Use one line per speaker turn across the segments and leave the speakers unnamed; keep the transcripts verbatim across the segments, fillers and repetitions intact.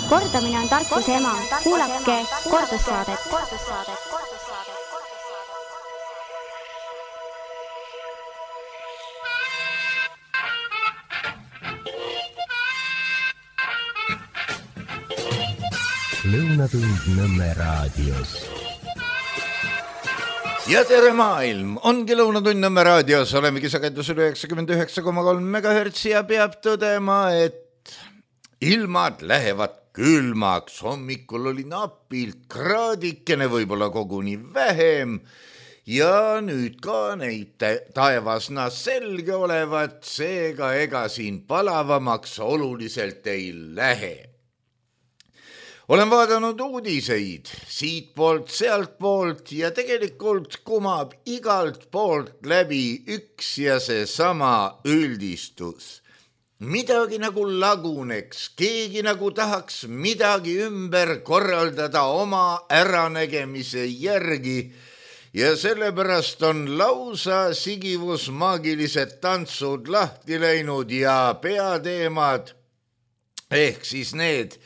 Kordamine on tarkuse ema. Kuulake kordussaadet.
Lõunatund Nõmme raadios.
Ja tere maailm, ongi Lõunatund Nõmme raadios, olemegi sagedusel üheksakümmend üheksa koma kolm megahertsi ja peab tõdema, et ilmad lähevad külmaks. Hommikul oli napilt kraadikene, võib-olla koguni vähem ja nüüd ka neid taevasna selge olevat, seega ega siin palavamaks oluliselt ei lähe. Olen vaadanud uudiseid siit poolt, sealt poolt ja tegelikult kumab igalt poolt läbi üks ja see sama üldistus. Midagi nagu laguneks, keegi nagu tahaks midagi ümber korraldada oma äranägemise järgi ja sellepärast on lausa sigivus maagilised tantsud lahti läinud ja peateemad ehk siis need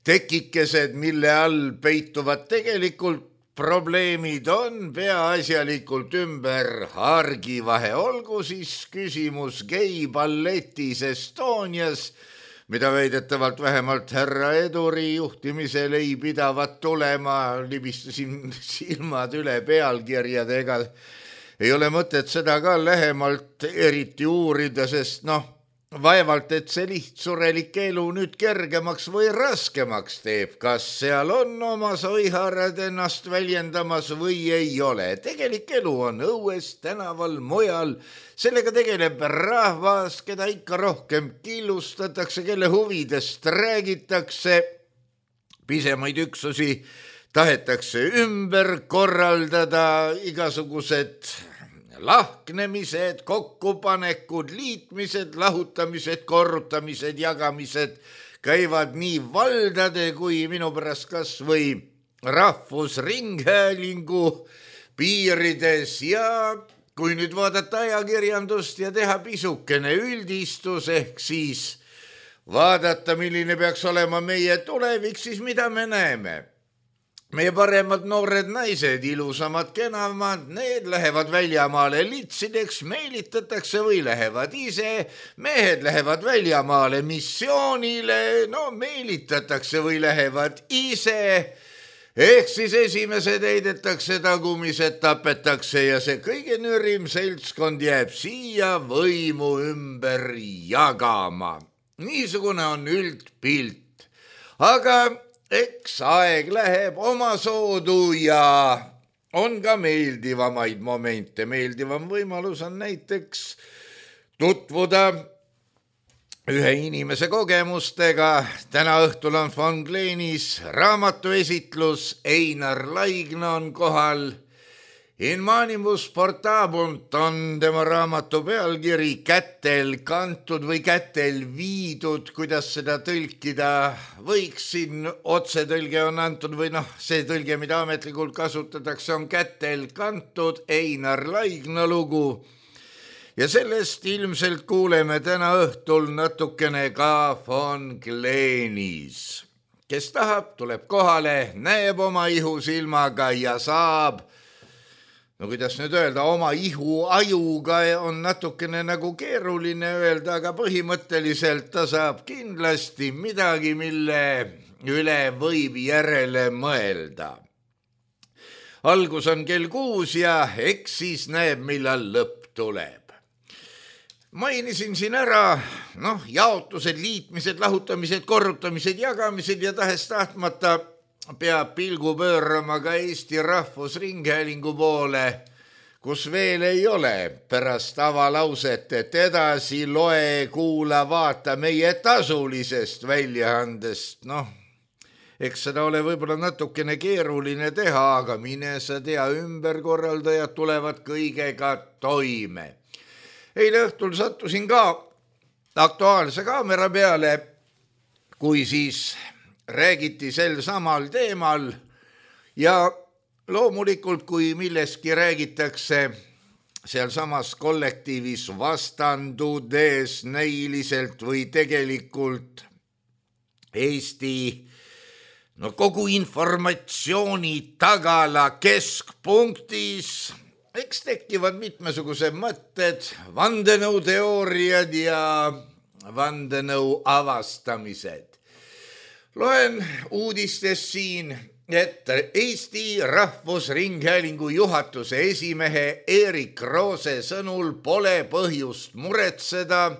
tekikesed, mille all peituvad tegelikult probleemid on peaasjalikult ümber hargivahe. Olgu siis küsimus geiballetis Estonias, mida väidetavalt vähemalt härra Eduri juhtimisel ei pidavat tulema. Libistasin silmad üle pealkirjadega. Ei ole mõtet seda ka lähemalt eriti uurida, sest noh, vaevalt, et see lihtsurelik elu nüüd kergemaks või raskemaks teeb, kas seal on oma soiharad ennast väljendamas või ei ole. Tegelik elu on õues, tänaval, mujal. Sellega tegeleb rahvas, keda ikka rohkem killustatakse, kelle huvidest räägitakse. Pisemaid üksusi tahetakse ümber korraldada, igasugused lahknemised, kokkupanekud, liitmised, lahutamised, korrutamised, jagamised käivad nii valdade kui minu pärast kas või rahvusringhäälingu piirides ja kui nüüd vaadata ajakirjandust ja teha pisukene üldistus ehk siis vaadata, milline peaks olema meie tulevik, siis mida me näeme? Meie paremad noored naised, ilusamad, kenamad, need lähevad väljamaale litsideks, meelitatakse või lähevad ise. Mehed lähevad väljamaale missioonile, no meelitatakse või lähevad ise. Ehk siis esimesed heidetakse, tagumised tapetakse ja see kõige nürim seltskond jääb siia võimu ümber jagama. Niisugune on üldpilt. Aga eks aeg läheb oma soodu ja on ka meeldivamaid momente. Meeldivam võimalus on näiteks tutvuda ühe inimese kogemustega. Täna õhtul on Von Gleenis raamatuesitlus, Einar Laigna on kohal. In manibus portabunt on tema raamatu pealkiri, kätel kantud või kätel viidud, kuidas seda tõlkida võiks. Siin otsetõlge on antud või noh, see tõlge, mida ametlikult kasutatakse, on kätel kantud Einar Laigna lugu. Ja sellest ilmselt kuuleme täna õhtul natukene ka Von Gleenis. Kes tahab, tuleb kohale, näeb oma ihusilmaga ja saab, no kuidas nüüd öelda, oma ihu ajuga on natukene nagu keeruline öelda, aga põhimõtteliselt ta saab kindlasti midagi, mille üle võib järele mõelda. Algus on kell kuus ja eks siis näeb, millal lõpp tuleb. Mainisin siin ära, noh, jaotused, liitmised, lahutamised, korrutamised, jagamised ja tahes tahtmata peab pilgu pöörama ka Eesti Rahvusringhäälingu poole, kus veel ei ole pärast avalauset, et edasi loe, kuula, vaata meie tasulisest väljaandest. Noh, eks seda ole võib-olla natukene keeruline teha, aga mine sa tea, ümberkorraldajad tulevad kõigega toime. Eile õhtul sattusin ka Aktuaalse kaamera peale, kui siis räägiti sel samal teemal ja loomulikult, kui milleski räägitakse sealsamas kollektiivis vastandudes näiliselt või tegelikult Eesti no kogu informatsiooni tagala keskpunktis eks tekivad mitmesugused mõtted, vandenõuteooriad ja vandenõu avastamised. Loen uudistest siin, et Eesti Rahvusringhäälingu juhatuse esimehe Erik Roose sõnul pole põhjust muretseda,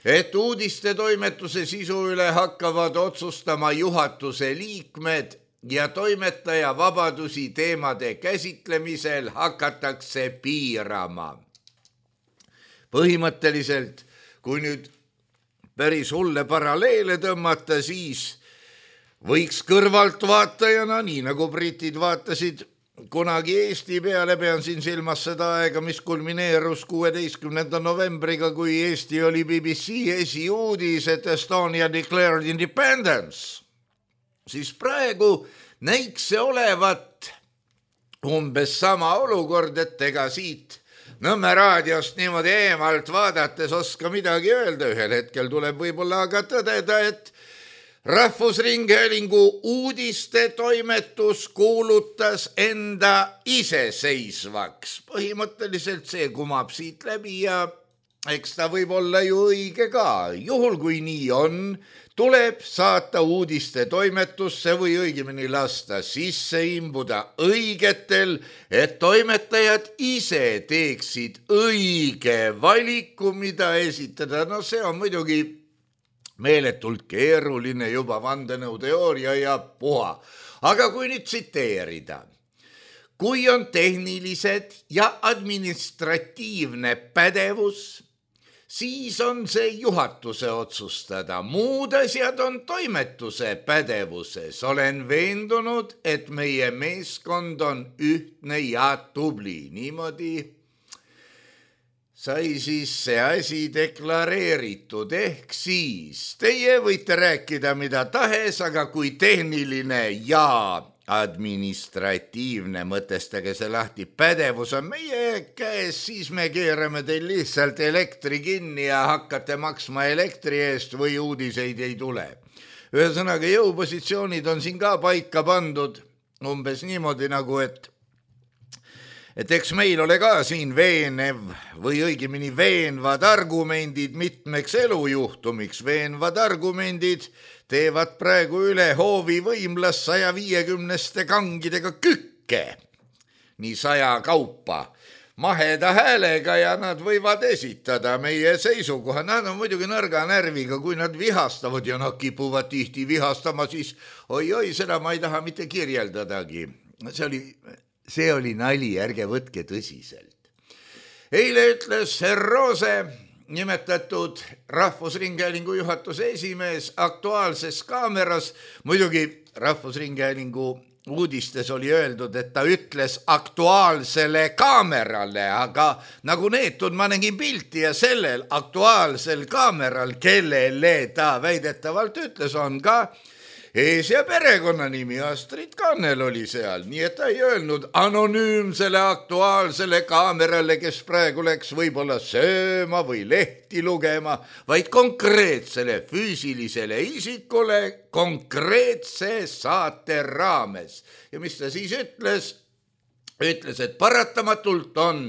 et uudiste toimetuse sisu üle hakkavad otsustama juhatuse liikmed ja toimetaja vabadusi teemade käsitlemisel hakatakse piirama. Põhimõtteliselt, kui nüüd päris hulle paralleele tõmmata, siis võiks kõrvaltvaatajana, nii nagu britid vaatasid kunagi Eesti peale, pean siin silmas seda aega, mis kulmineerus kuueteistkümnenda novembriga, kui Eesti oli B B C esiuudis, et Estonia declared independence, siis praegu näiks see olevat umbes sama olukord, et ega siit Nõmme raadiost niimoodi eemalt vaadates oska midagi öelda. Ühel hetkel tuleb võib-olla aga tõdeda, et Rahvusringhäälingu uudiste toimetus kuulutas enda iseseisvaks. Põhimõtteliselt see kumab siit läbi ja eks ta võib olla ju õige ka. Juhul kui nii on, tuleb saata uudiste toimetusse või õigemini lasta sisse imbuda õigetel, et toimetajad ise teeksid õige valiku, mida esitada. No see on muidugi meeletult keeruline juba vandenõuteooria ja puha. Aga kui nüüd tsiteerida, kui on tehnilised ja administratiivne pädevus, siis on see juhatuse otsustada. Muud asjad on toimetuse pädevuses. Olen veendunud, et meie meeskond on ühtne ja tubli. Niimoodi sai siis see asi deklareeritud. Ehk siis teie võite rääkida mida tahes, aga kui tehniline ja administratiivne, mõtestage see lahti, pädevus on meie käes, siis me keerame teil lihtsalt elektri kinni ja hakkate maksma elektri eest või uudiseid ei tule. Ühesõnaga jõupositsioonid on siin ka paika pandud umbes niimoodi nagu, et et eks meil ole ka siin veenev või õigemini veenvad argumendid mitmeks elujuhtumiks. Veenvad argumendid teevad praegu üle hoovi võimlas saja viiekümneste kangidega kükke, nii saja kaupa, maheda häälega ja nad võivad esitada meie seisukoha. Nad on muidugi nõrga närviga, kui nad vihastavad ja nad kipuvad tihti vihastama, siis oi-oi, seda ma ei taha mitte kirjeldadagi. See oli, see oli nali, ärge võtke tõsiselt. Eile ütles Roose, nimetatud Rahvusringhäälingu juhatuse esimees, Aktuaalses Kaameras, muidugi Rahvusringhäälingu uudistes oli öeldud, et ta ütles Aktuaalsele Kaamerale, aga nagu neetud ma nägin pilti ja sellel Aktuaalsel Kaameral, kellele ta väidetavalt ütles, on ka ees- ja perekonnanimi. Astrid Kannel oli seal, nii et ta ei öelnud anonüümsele Aktuaalsele Kaamerale, kes praegu läks võib-olla sööma või lehti lugema, vaid konkreetsele füüsilisele isikule konkreetse saate raames. Ja mis ta siis ütles? Ütles, et paratamatult on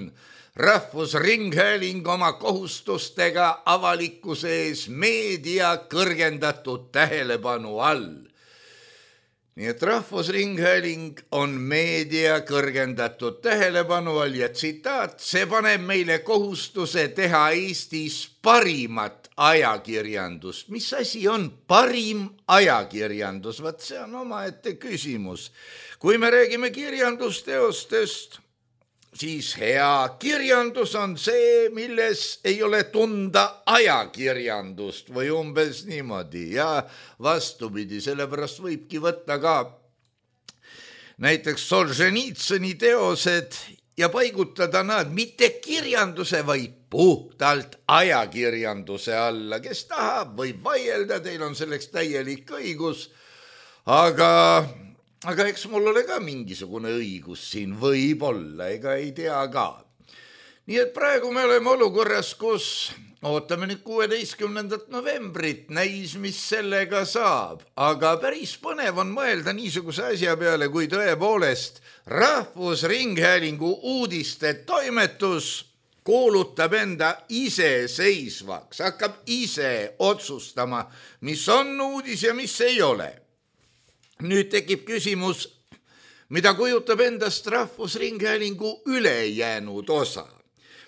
Rahvusringhääling oma kohustustega avalikkuse ees meedia kõrgendatud tähelepanu all. Nii et Rahvusringhääling on meedia kõrgendatud tähelepanu all ja tsitaat, see paneb meile kohustuse teha Eestis parimat ajakirjandust. Mis asi on parim ajakirjandus? Vaat see on omaette küsimus. Kui me räägime kirjandusteostest, siis hea kirjandus on see, milles ei ole tunda ajakirjandust või umbes niimoodi ja vastupidi, sellepärast võibki võtta ka näiteks Solženitsõni teosed ja paigutada nad mitte kirjanduse, vaid puhtalt ajakirjanduse alla. Kes tahab, võib vaielda, teil on selleks täielik õigus, aga Aga eks mul ole ka mingisugune õigus siin võib olla, ega ei tea ka. Nii et praegu me oleme olukorras, kus ootame nüüd kuueteistkümnendat novembrit, näis, mis sellega saab, aga päris põnev on mõelda niisuguse asja peale, kui tõepoolest Rahvusringhäälingu uudiste toimetus kuulutab enda iseseisvaks, hakkab ise otsustama, mis on uudis ja mis ei ole. Nüüd tekib küsimus, mida kujutab endast Rahvusringhäälingu ülejäänud osa.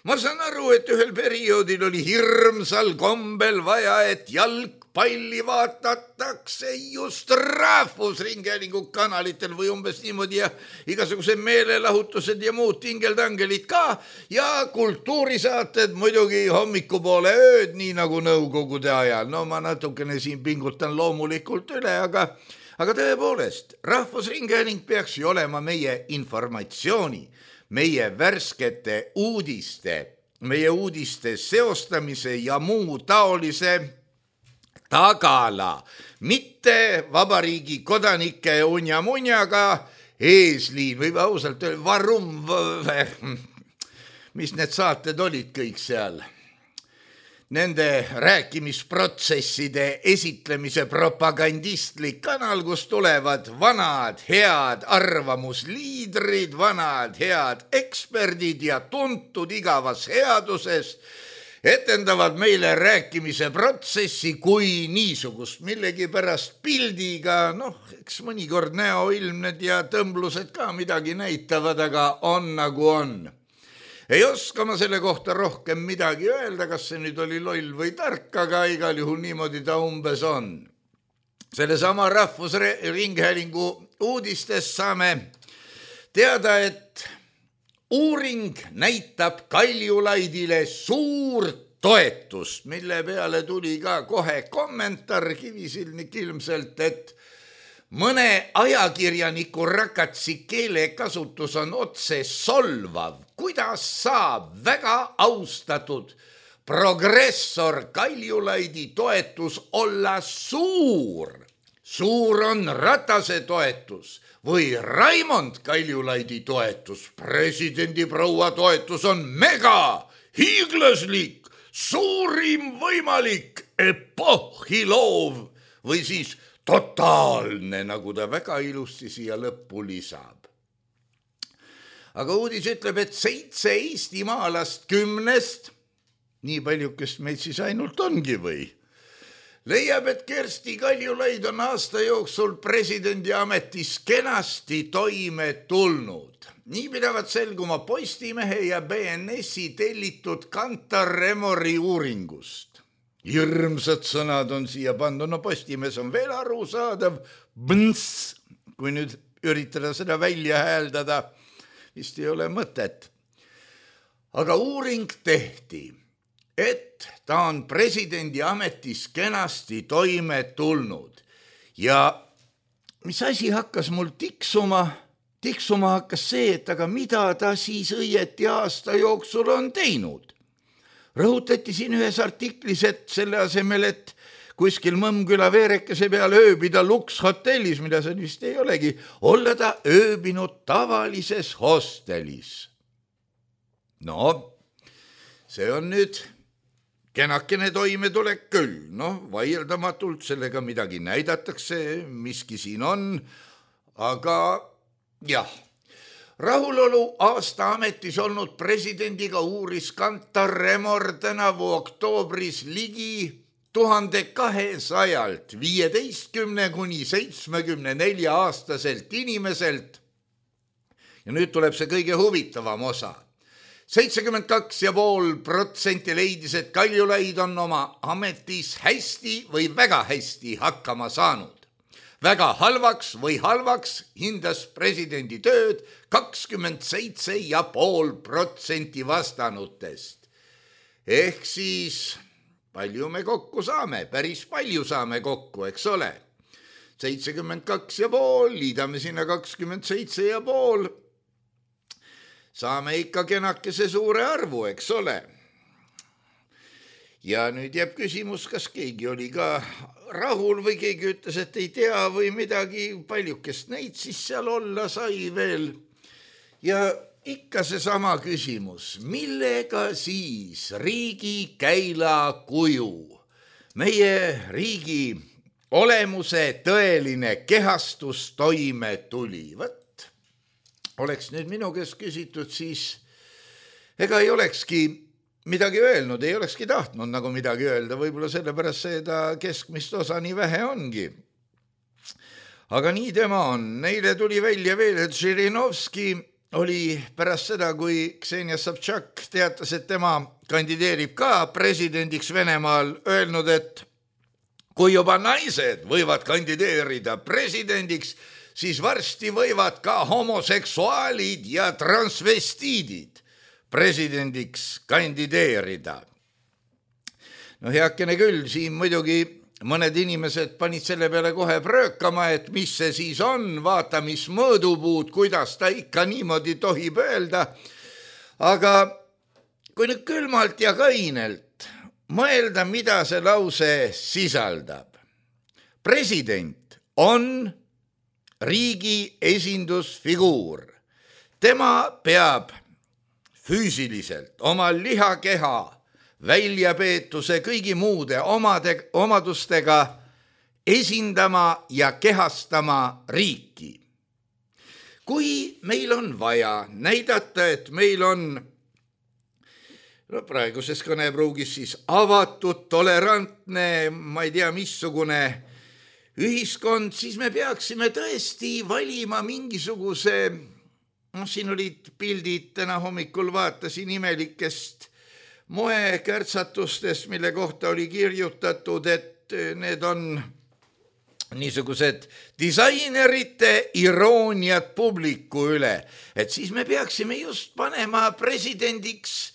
Ma saan aru, et ühel perioodil oli hirmsal kombel vaja, et jalgpalli vaatatakse just Rahvusringhäälingu kanalitel või umbes niimoodi ja igasugused meelelahutused ja muud tingeltangelid ka ja kultuurisaated muidugi hommikupoole ööd, nii nagu nõukogude ajal. No ma natukene siin pingutan loomulikult üle, aga, aga tõepoolest, Rahvusringhääling peaks ju olema meie informatsiooni, meie värskete uudiste, meie uudiste seostamise ja muu taolise tagala, mitte vabariigi kodanike unja-munjaga eesliin või ausalt varum, mis need saated olid kõik seal. Nende rääkimisprotsesside esitlemise propagandistlik kanal, kus tulevad vanad head arvamusliidrid, vanad head eksperdid ja tuntud igavas headuses, etendavad meile rääkimise protsessi kui niisugust millegi pärast pildiga, noh, eks mõnikord näoilmned ja tõmblused ka midagi näitavad, aga on nagu on. Ei oska ma selle kohta rohkem midagi öelda, kas see nüüd oli loll või tark, aga igal juhul niimoodi ta umbes on. Selle sama Rahvusringhäälingu uudistest saame teada, et uuring näitab Kaljulaidile suurt toetust, mille peale tuli ka kohe kommentaar Kivisilnik ilmselt, et mõne ajakirjaniku rakatsi keelekasutus on otse solvav. Kuidas saab väga austatud progressor Kaljulaidi toetus olla suur? Suur on Ratase toetus või Raimond Kaljulaidi toetus. Presidendi proua toetus on mega, hiiglaslik, suurim võimalik, epohhiloov või siis totaalne, nagu ta väga ilusti siia lõppu lisab. Aga uudis ütleb, et seitse eestimaalast kümnest, nii paljukest meid siis ainult ongi või, leiab, et Kersti Kaljulaid on aasta jooksul presidendi ametis kenasti toime tulnud. Nii pidavat selguma Postimehe ja B N S-i tellitud Kantar Remori uuringust. Hirmsad sõnad on siia pannud, no Postimees on veel arusaadav, bns, kui nüüd üritada seda välja hääldada, vist ei ole mõtet. Aga uuring tehti, et ta on presidendi ametis kenasti toime tulnud. Ja mis asi hakkas mul tiksuma? Tiksuma hakkas see, et aga mida ta siis õieti aasta jooksul on teinud? Rõhutati siin ühes artiklis, et selle asemel, et kuskil Mõmmküla veerekese peal ööbida Lux hotellis, mida see vist ei olegi, olla ta ööbinud tavalises hostelis. No, see on nüüd kenakene toimetulek küll, noh, vaieldamatult sellega midagi näidatakse, miski siin on, aga jah. Rahulolu aasta ametis olnud presidendiga uuris Kantar Remor tänavu oktoobris ligi tuhande kahesajalt viieteistkümne kuni seitsmekümne nelja aastaselt inimeselt. Ja nüüd tuleb see kõige huvitavam osa. seitsekümmend kaks ja pool protsenti leidis, et Kaljulaid on oma ametis hästi või väga hästi hakkama saanud. Väga halvaks või halvaks hindas presidendi tööd kakskümmend seitse ja pool protsenti vastanutest. Ehk siis palju me kokku saame, päris palju saame kokku, eks ole. seitsekümmend kaks ja pool, liidame sinna kakskümmend seitse ja pool. Saame ikka kenakese suure arvu, eks ole. Ja nüüd jääb küsimus, kas keegi oli ka rahul või keegi ütles, et ei tea või midagi, paljukest neid siis seal olla sai veel. Ja ikka seesama küsimus, millega siis riigi käila kuju, meie riigi olemuse tõeline kehastus toime tuli. Võt, oleks nüüd minu käest küsitud, siis ega ei olekski midagi öelnud, ei olekski tahtnud nagu midagi öelda, võib-olla sellepärast seda keskmist osa nii vähe ongi. Aga nii tema on. Neile tuli välja veel, et Žirinovski oli pärast seda, kui Ksenia Sobtšak teatas, et tema kandideerib ka presidendiks Venemaal, öelnud, et kui juba naised võivad kandideerida presidendiks, siis varsti võivad ka homoseksuaalid ja transvestiidid presidendiks kandideerida. No heakene küll, siin muidugi mõned inimesed panid selle peale kohe pröökama, et mis see siis on, vaata mis mõõdupuud, kuidas ta ikka niimoodi tohib öelda. Aga kui nüüd külmalt ja kainelt mõelda, mida see lause sisaldab. President on riigi esindusfiguur. Tema peab füüsiliselt oma lihakeha väljapeetuse kõigi muude omade, omadustega esindama ja kehastama riiki. Kui meil on vaja näidata, et meil on no praeguses kõnepruugis siis avatud, tolerantne, ma ei tea, missugune ühiskond, siis me peaksime tõesti valima mingisuguse, noh, siin olid pildid, täna hommikul vaatasin imelikest moekärtsatustest, mille kohta oli kirjutatud, et need on niisugused disainerite irooniad publiku üle, et siis me peaksime just panema presidendiks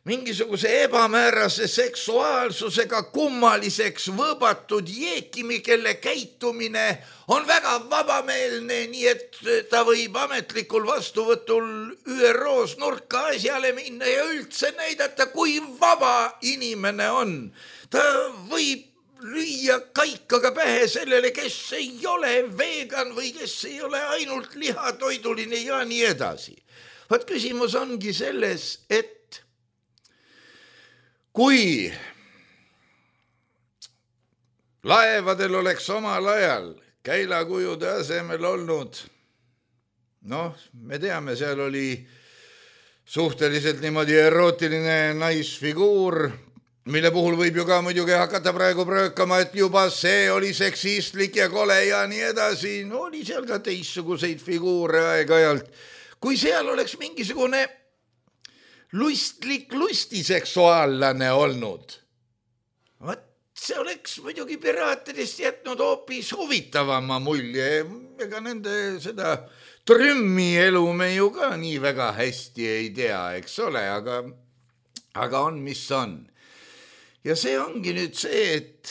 mingisuguse ebamäärase seksuaalsusega kummaliseks võõbatud jeekimi, kelle käitumine on väga vabameelne, nii et ta võib ametlikul vastuvõtul Ü R O-s nurka asjale minna ja üldse näidata, kui vaba inimene on. Ta võib lüüa kaikaga pähe sellele, kes ei ole vegan või kes ei ole ainult lihatoiduline ja nii edasi. Vaat küsimus ongi selles, et kui laevadel oleks omal ajal käilakujude asemel olnud, noh, me teame, seal oli suhteliselt niimoodi erootiline naisfiguur, mille puhul võib ju ka muidugi hakata praegu pröökama, et juba see oli seksistlik ja kole ja nii edasi. No oli seal ka teistsuguseid figuure aeg-ajalt. Kui seal oleks mingisugune lustlik lustiseksuaallane olnud, vaat see oleks muidugi piraatidest jätnud hoopis huvitavama mulje. Ega nende seda trümmi elu me ju ka nii väga hästi ei tea, eks ole, aga, aga on, mis on. Ja see ongi nüüd see, et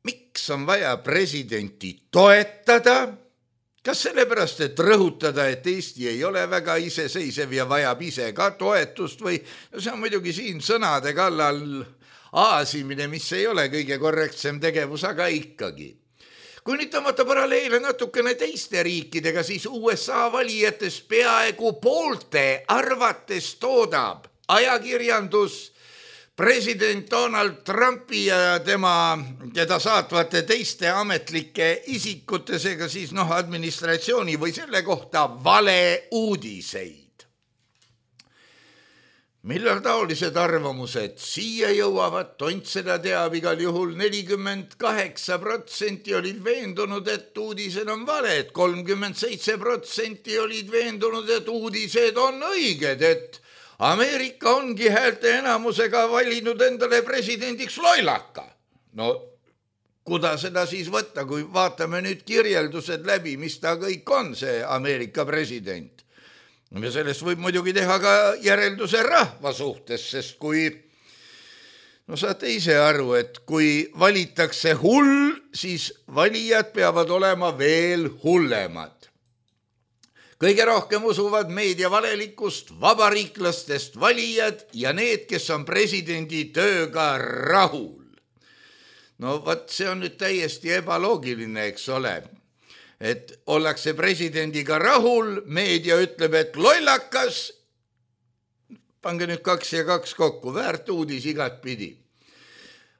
miks on vaja presidenti toetada? Kas sellepärast, et rõhutada, et Eesti ei ole väga iseseisev ja vajab ise ka toetust või no see on muidugi siin sõnade kallal aasimine, mis ei ole kõige korrektsem tegevus, aga ikkagi. Kui nüüd tõmmata paralleele natukene teiste riikidega, siis U S A valijates peaaegu poolte arvates toodab ajakirjandus president Donald Trumpi ja tema, teda saatvate teiste ametlike isikute, seega siis noh, administratsiooni või selle kohta vale uudiseid. Millal taolised arvamused siia jõuavad, tont seda teab igal juhul. nelikümmend kaheksa protsenti olid veendunud, et uudised on valed, kolmkümmend seitse protsenti olid veendunud, et uudised on õiged, et Ameerika ongi häälte enamusega valinud endale presidendiks lollaka. No, kuda seda siis võtta, kui vaatame nüüd kirjeldused läbi, mis ta kõik on, see Ameerika president. Ja sellest võib muidugi teha ka järelduse rahva suhtes, sest kui, no saate ise aru, et kui valitakse hull, siis valijad peavad olema veel hullemad. Kõige rohkem usuvad meedia valelikust vabariiklastest valijad ja need, kes on presidendi tööga rahul. No vaat see on nüüd täiesti ebaloogiline, eks ole. et ollakse presidendiga rahul, meedia ütleb, et lollakas, pange nüüd kaks ja kaks kokku, väärt uudis igat pidi.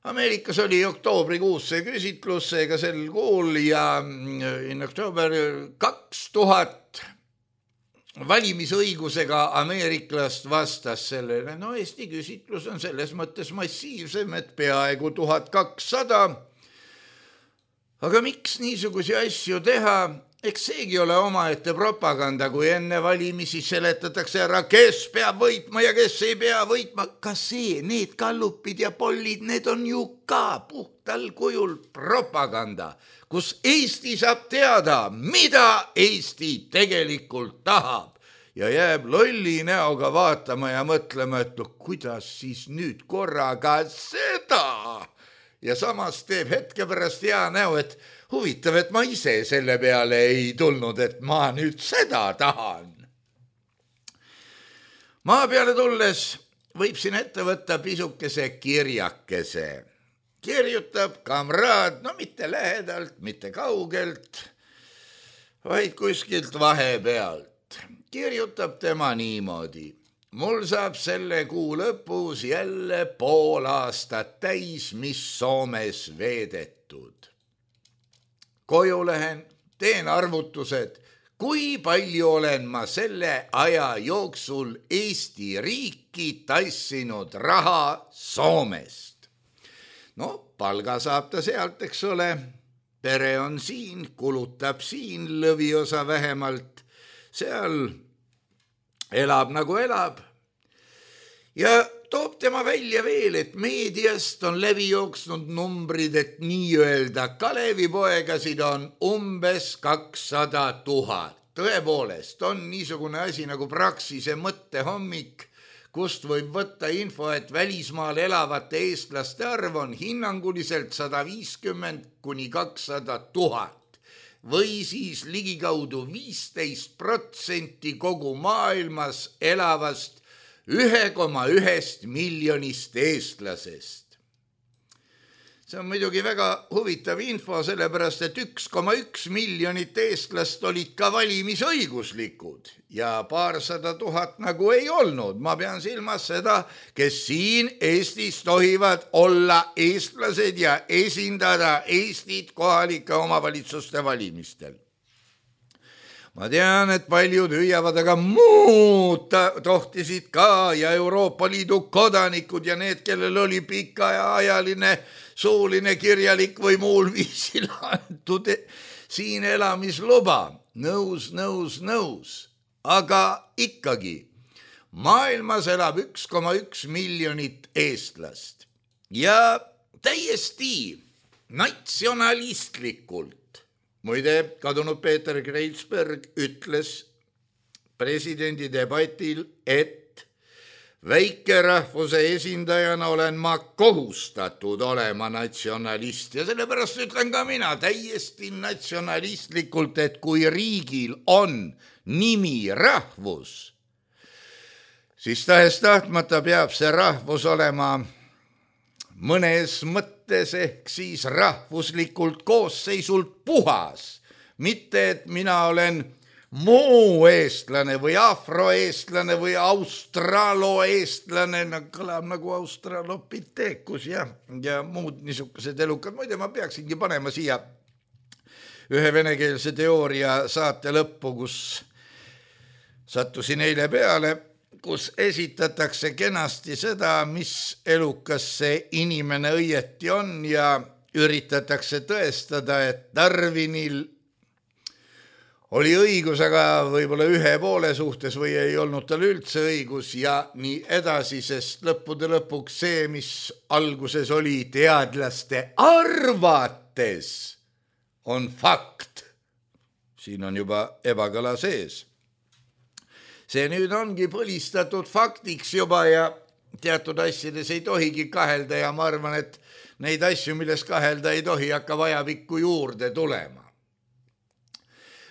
Ameerikas oli oktoobrikuus see küsitlus, seega sel kuul ja in oktoober kaks tuhat valimisõigusega ameeriklast vastas sellele. No Eesti küsitlus on selles mõttes massiivsem, et peaaegu tuhat kakssada. Aga miks niisugusi asju teha? Eks seegi ole omaette propaganda, kui enne valimisi seletatakse ära, kes peab võitma ja kes ei pea võitma. Ka see, need kallupid ja pollid, need on ju ka puhtal kujul propaganda, kus Eesti saab teada, mida Eesti tegelikult tahab. Ja jääb lolli näoga vaatama ja mõtlema, et no, kuidas siis nüüd korraga seda? Ja samas teeb hetke pärast hea näo, et huvitav, et ma ise selle peale ei tulnud, et ma nüüd seda tahan. Maa peale tulles võib siin ette võtta pisukese kirjakese. Kirjutab kamraad, no mitte lähedalt, mitte kaugelt, vaid kuskilt vahepealt. Kirjutab tema niimoodi. Mul saab selle kuu lõpus jälle pool aastat täis, mis Soomes veedetud. Koju lähen, teen arvutused, kui palju olen ma selle aja jooksul Eesti riiki tassinud raha Soomest. No, palga saab ta sealt, eks ole. Pere on siin, kulutab siin lõviosa vähemalt. Seal elab nagu elab. Ja toob tema välja veel, et meediast on läbi jooksnud numbrid, et nii-öelda Kalevipoegasid on umbes kakssada tuhat. Tõepoolest on niisugune asi nagu Praxise mõttehommik, kust võib võtta info, et välismaal elavate eestlaste arv on hinnanguliselt sada viiskümmend kuni kakssada tuhat. Või siis ligikaudu viisteist protsenti kogu maailmas elavast ühe koma üks miljonist eestlasest. See on muidugi väga huvitav info, sellepärast et üks koma üks miljonit eestlast olid ka valimisõiguslikud ja paarsada tuhat nagu ei olnud. Ma pean silmas seda, kes siin Eestis tohivad olla eestlased ja esindada Eestit kohalike omavalitsuste valimistel. Ma tean, et paljud hüüavad, aga muud tohtisid ka ja Euroopa Liidu kodanikud ja need, kellel oli pikaajaline suuline kirjalik või muul viisil antud siin elamisluba. Nõus, nõus, nõus. Aga ikkagi maailmas elab üks koma üks miljonit eestlast ja täiesti natsionalistlikult. Muide, kadunud Peeter Kreitsberg ütles presidendi debatil, et väikerahvuse esindajana olen ma kohustatud olema natsionalist ja sellepärast ütlen ka mina täiesti natsionalistlikult, et kui riigil on nimi rahvus, siis tahes tahtmata peab see rahvus olema mõnes mõttes ehk siis rahvuslikult koosseisult puhas. Mitte, et mina olen muu eestlane või afroeestlane või australoeestlane, kõlab nagu australopiteekus ja, ja muud niisugused elukad. Muide, ma peaksingi panema siia ühe venekeelse teooria saate lõppu, kus sattusin eile peale, kus esitatakse kenasti seda, mis elukas see inimene õieti on ja üritatakse tõestada, et Darwinil oli õigus, aga võib-olla ühe poole suhtes või ei olnud tal üldse õigus ja nii edasi, sest lõppude lõpuks see, mis alguses oli teadlaste arvates, on fakt. Siin on juba ebakõla sees. See nüüd ongi põlistatud faktiks juba ja teatud asjades ei tohigi kahelda ja ma arvan, et neid asju, milles kahelda ei tohi, hakka vajapikku juurde tulema.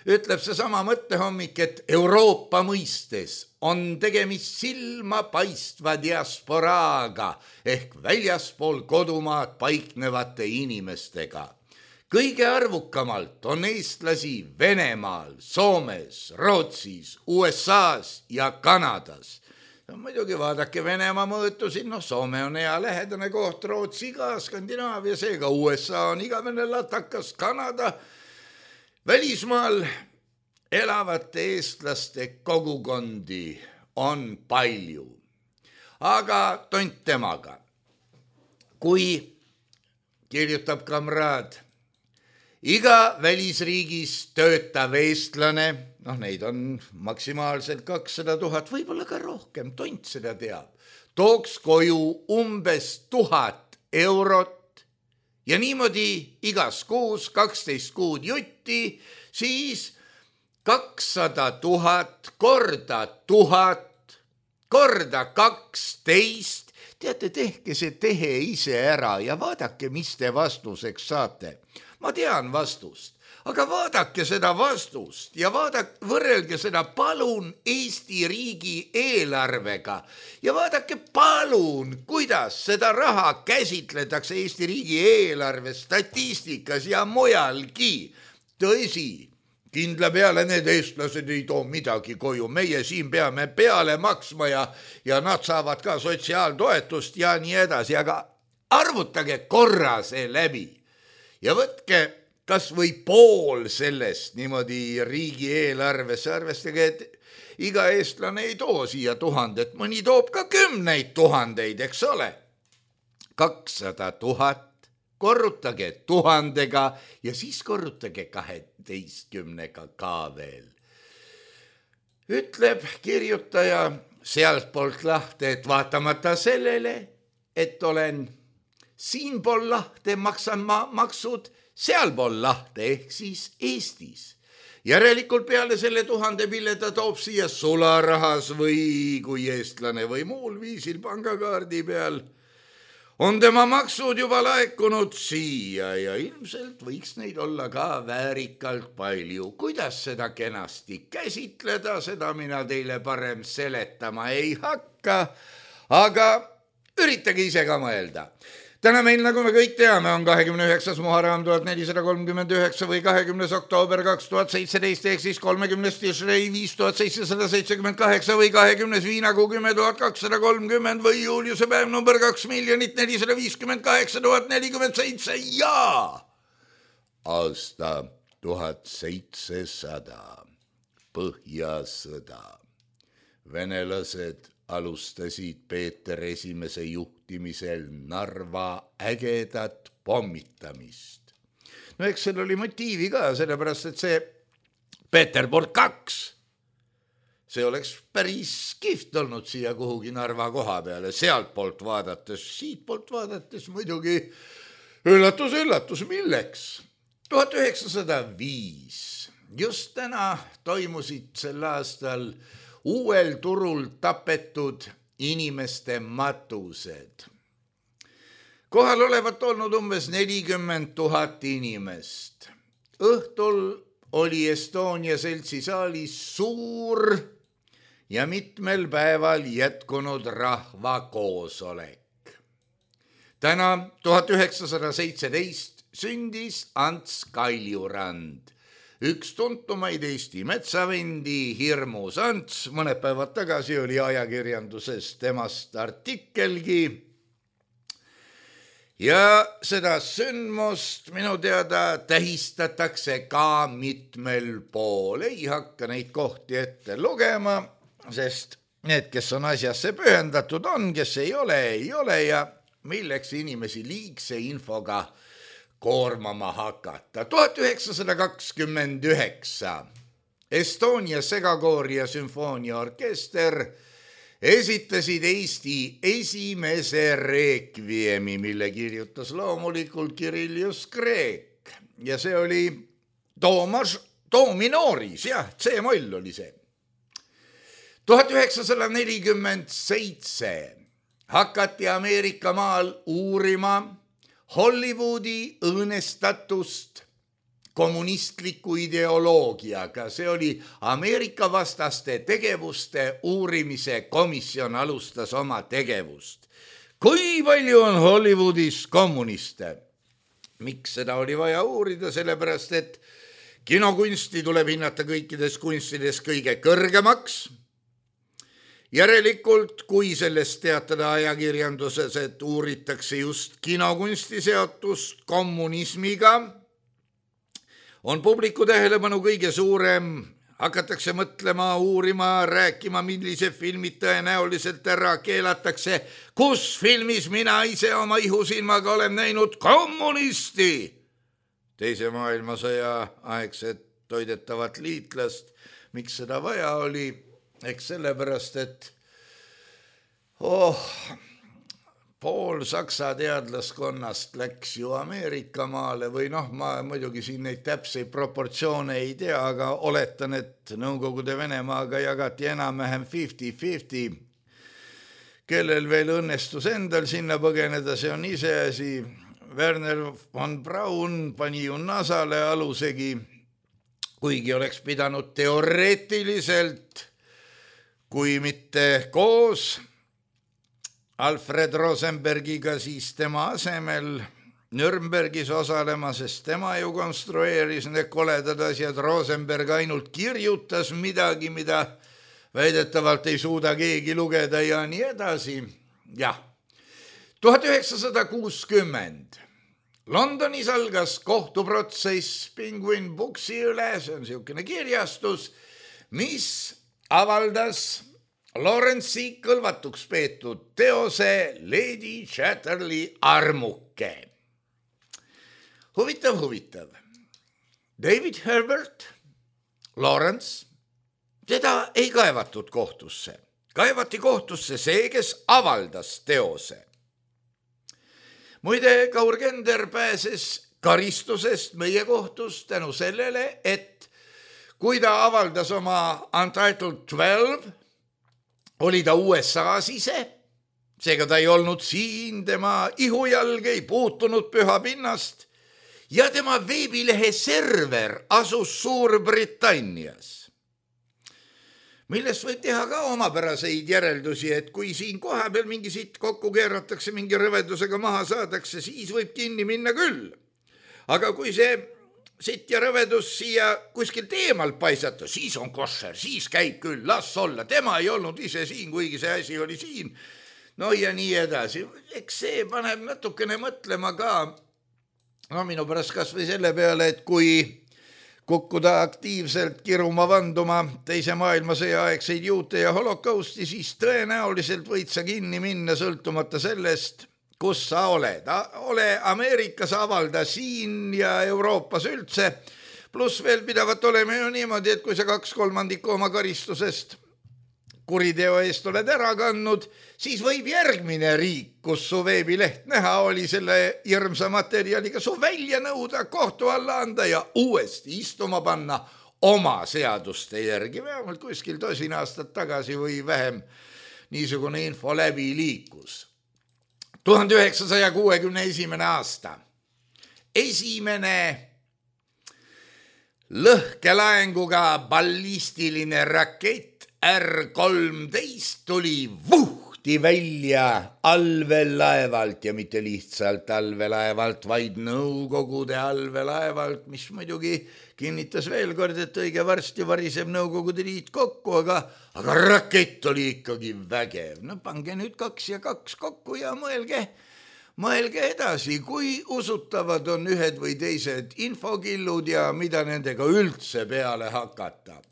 Ütleb see sama mõttehommik, et Euroopa mõistes on tegemist silmapaistva diasporaaga ehk väljaspool kodumaad paiknevate inimestega. kõige arvukamalt on eestlasi Venemaal, Soomes, Rootsis, U S A-s ja Kanadas. No, muidugi vaadake Venemaa mõõtusid, noh, Soome on hea lähedane koht, Rootsi ka, Skandinaavia, seega U S A on igavene latakas, Kanada. Välismaal elavate eestlaste kogukondi on palju, aga tont temaga. Kui kirjutab kamraad, iga välisriigis töötav eestlane, noh, neid on maksimaalselt kakssada tuhat, võib-olla ka rohkem, tont seda teab, tooks koju umbes tuhat eurot ja niimoodi igas kuus kaksteist kuud jutti, siis kakssada tuhat korda tuhat korda kaksteist. Teate, tehke see tehe ise ära ja vaadake, mis te vastuseks saate. Ma tean vastust, aga vaadake seda vastust ja vaadake, võrrelge seda palun Eesti riigi eelarvega ja vaadake palun, kuidas seda raha käsitletakse Eesti riigi eelarve statistikas ja mujalgi. Tõsi, kindla peale need eestlased ei too midagi koju, meie siin peame peale maksma ja, ja nad saavad ka sotsiaaltoetust ja nii edasi, aga arvutage korra see läbi. Ja võtke kas või pool sellest niimoodi riigi eelarvesse, arvestage, et iga eestlane ei too siia tuhandet, mõni toob ka kümneid tuhandeid, eks ole. kakssada tuhat, korrutage tuhandega ja siis korrutage kaheteistkümnega ka veel. Ütleb kirjutaja sealtpoolt lahte, et vaatamata sellele, et olen siinpool lahte maksan ma maksud sealpool lahte ehk siis Eestis. Järelikult peale selle tuhande pille ta toob siia sularahas või kui eestlane või muul viisil pangakaardi peal. On tema maksud juba laekunud siia ja ilmselt võiks neid olla ka väärikalt palju. Kuidas seda kenasti käsitleda, seda mina teile parem seletama ei hakka, aga üritage ise ka mõelda. Täna meil, nagu me kõik teame, on kahekümne üheksas Muharram tuhat nelisada kolmkümmend üheksa või kahekümnes oktoober kaks tuhat seitseteist ehk siis kolmekümnes Tishrei viis tuhat seitsesada seitsekümmend kaheksa või kahekümnes Viinakuu kümme tuhat kakssada kolmkümmend või juuliuse päev number kaks miljonit nelisada viiskümmend kaheksa tuhat nelikümmend seitse ja aasta tuhat seitsesada Põhjasõda. Venelased alustasid Peeter Esimese juhtimisel Narva ägedat pommitamist. No eks seal oli motiivi ka, sellepärast, et see Peterburg kaks, see oleks päris kihvt olnud siia kuhugi Narva koha peale, sealt poolt vaadates, siit poolt vaadates muidugi üllatus, üllatus, milleks? tuhat üheksasada viis, just täna toimusid sel aastal uuel turul tapetud inimeste matused. Kohal olevat olnud umbes nelikümmend tuhat inimest. Õhtul oli Estonia seltsi saalis suur ja mitmel päeval jätkunud rahvakoosolek. Täna tuhat üheksasada seitseteist sündis Ants Kaljurand. Üks tuntumaid Eesti metsavendi, Hirmus Ants, mõned päevad tagasi oli ajakirjanduses temast artikelgi. Ja seda sündmust minu teada tähistatakse ka mitmel pool. Ei hakka neid kohti ette lugema, sest need, kes on asjasse pühendatud on, kes ei ole, ei ole ja milleks inimesi liigse infoga koormama hakata. tuhat üheksasada kakskümmend üheksa Estonia segakoor ja sümfooniaorkester esitasid Eesti esimese reekviemi, mille kirjutas loomulikult Kirillius Kreek. Ja see oli Toomas, do minoris, jah, C-moll oli see. tuhat üheksasada nelikümmend seitse hakati Ameerika maal uurima Hollywoodi õõnestatust kommunistliku ideoloogiaga. See oli Ameerika vastaste tegevuste uurimise komisjon alustas oma tegevust. Kui palju on Hollywoodis kommuniste? miks seda oli vaja uurida, sellepärast et kinokunsti tuleb hinnata kõikides kunstides kõige kõrgemaks. Järelikult, kui sellest teatada ajakirjanduses, et uuritakse just kinokunsti seotust kommunismiga, on publiku tähelepanu kõige suurem, hakatakse mõtlema, uurima, rääkima, millise filmid tõenäoliselt ära keelatakse, kus filmis mina ise oma ihusilmaga olen näinud kommunisti. Teise maailmasõja aegset toidetavat liitlast, miks seda vaja oli, eks sellepärast, et oh, pool saksa teadlaskonnast läks ju Ameerika maale või noh, ma muidugi siin neid täpseid proportsioone ei tea, aga oletan, et Nõukogude Venemaaga jagati enam-vähem viiskümmend viiskümmend. Kellel veel õnnestus endal sinna põgeneda, see on iseasi. Werner von Braun pani ju Nasale alusegi, kuigi oleks pidanud teoreetiliselt, kui mitte koos Alfred Rosenbergiga, siis tema asemel Nürnbergis osalema, sest tema ju konstrueeris need koledad asjad. Rosenberg ainult kirjutas midagi, mida väidetavalt ei suuda keegi lugeda ja nii edasi. Jah, tuhat üheksasada kuuskümmend. Londonis algas kohtuprotsess Penguin Booksi üle, see on niisugune kirjastus, mis avaldas Lawrence'i kõlvatuks peetud teose Lady Chatterley armuke. Huvitav, huvitav. David Herbert, Lawrence, seda ei kaevatud kohtusse. Kaevati kohtusse see, kes avaldas teose. Muide, Kaur Kender pääses karistusest meie kohtus tänu sellele, et kui ta avaldas oma Untitled twelve, oli ta U S A-s ise, seega ta ei olnud siin, tema ihujalg ei puutunud püha pinnast ja tema veebilehe server asus Suurbritannias, millest võib teha ka omapäraseid järeldusi, et kui siin koha peal mingi sitt kokku keeratakse, mingi rõvedusega maha saadakse, siis võib kinni minna küll. Aga kui see sitt ja rõvedus siia kuskilt eemalt paisata, siis on košer, siis käib küll, las olla. Tema ei olnud ise siin, kuigi see asi oli siin. No ja nii edasi. Eks see paneb natukene mõtlema ka, no minu pärast kas või selle peale, et kui kukkuda aktiivselt kiruma vanduma teise maailmasõja aegseid juute ja holokausti, siis tõenäoliselt võid sa kinni minna sõltumata sellest, kus sa oled. Ole Ameerikas, avalda siin ja Euroopas üldse, pluss veel pidavat olema ju niimoodi, et kui sa kaks kolmandikku oma karistusest kuriteo eest oled ära kandnud, siis võib järgmine riik, kus su veebileht näha oli, selle hirmsa materjaliga su välja nõuda, kohtu alla anda ja uuesti istuma panna oma seaduste järgi. Vähemalt kuskil tosin aastat tagasi või vähem niisugune info läbi liikus. tuhande üheksasaja kuuekümne esimene aasta. Esimene lõhkelaenguga ballistiline rakett R kolmteist tuli vuhti välja allveelaevalt ja mitte lihtsalt allveelaevalt, vaid Nõukogude allveelaevalt, mis muidugi kinnitas veel kord, et õige varsti variseb Nõukogude Liit kokku, aga, aga rakett oli ikkagi vägev. No pange nüüd kaks ja kaks kokku ja mõelge, mõelge edasi, kui usutavad on ühed või teised infokillud ja mida nendega üldse peale hakata.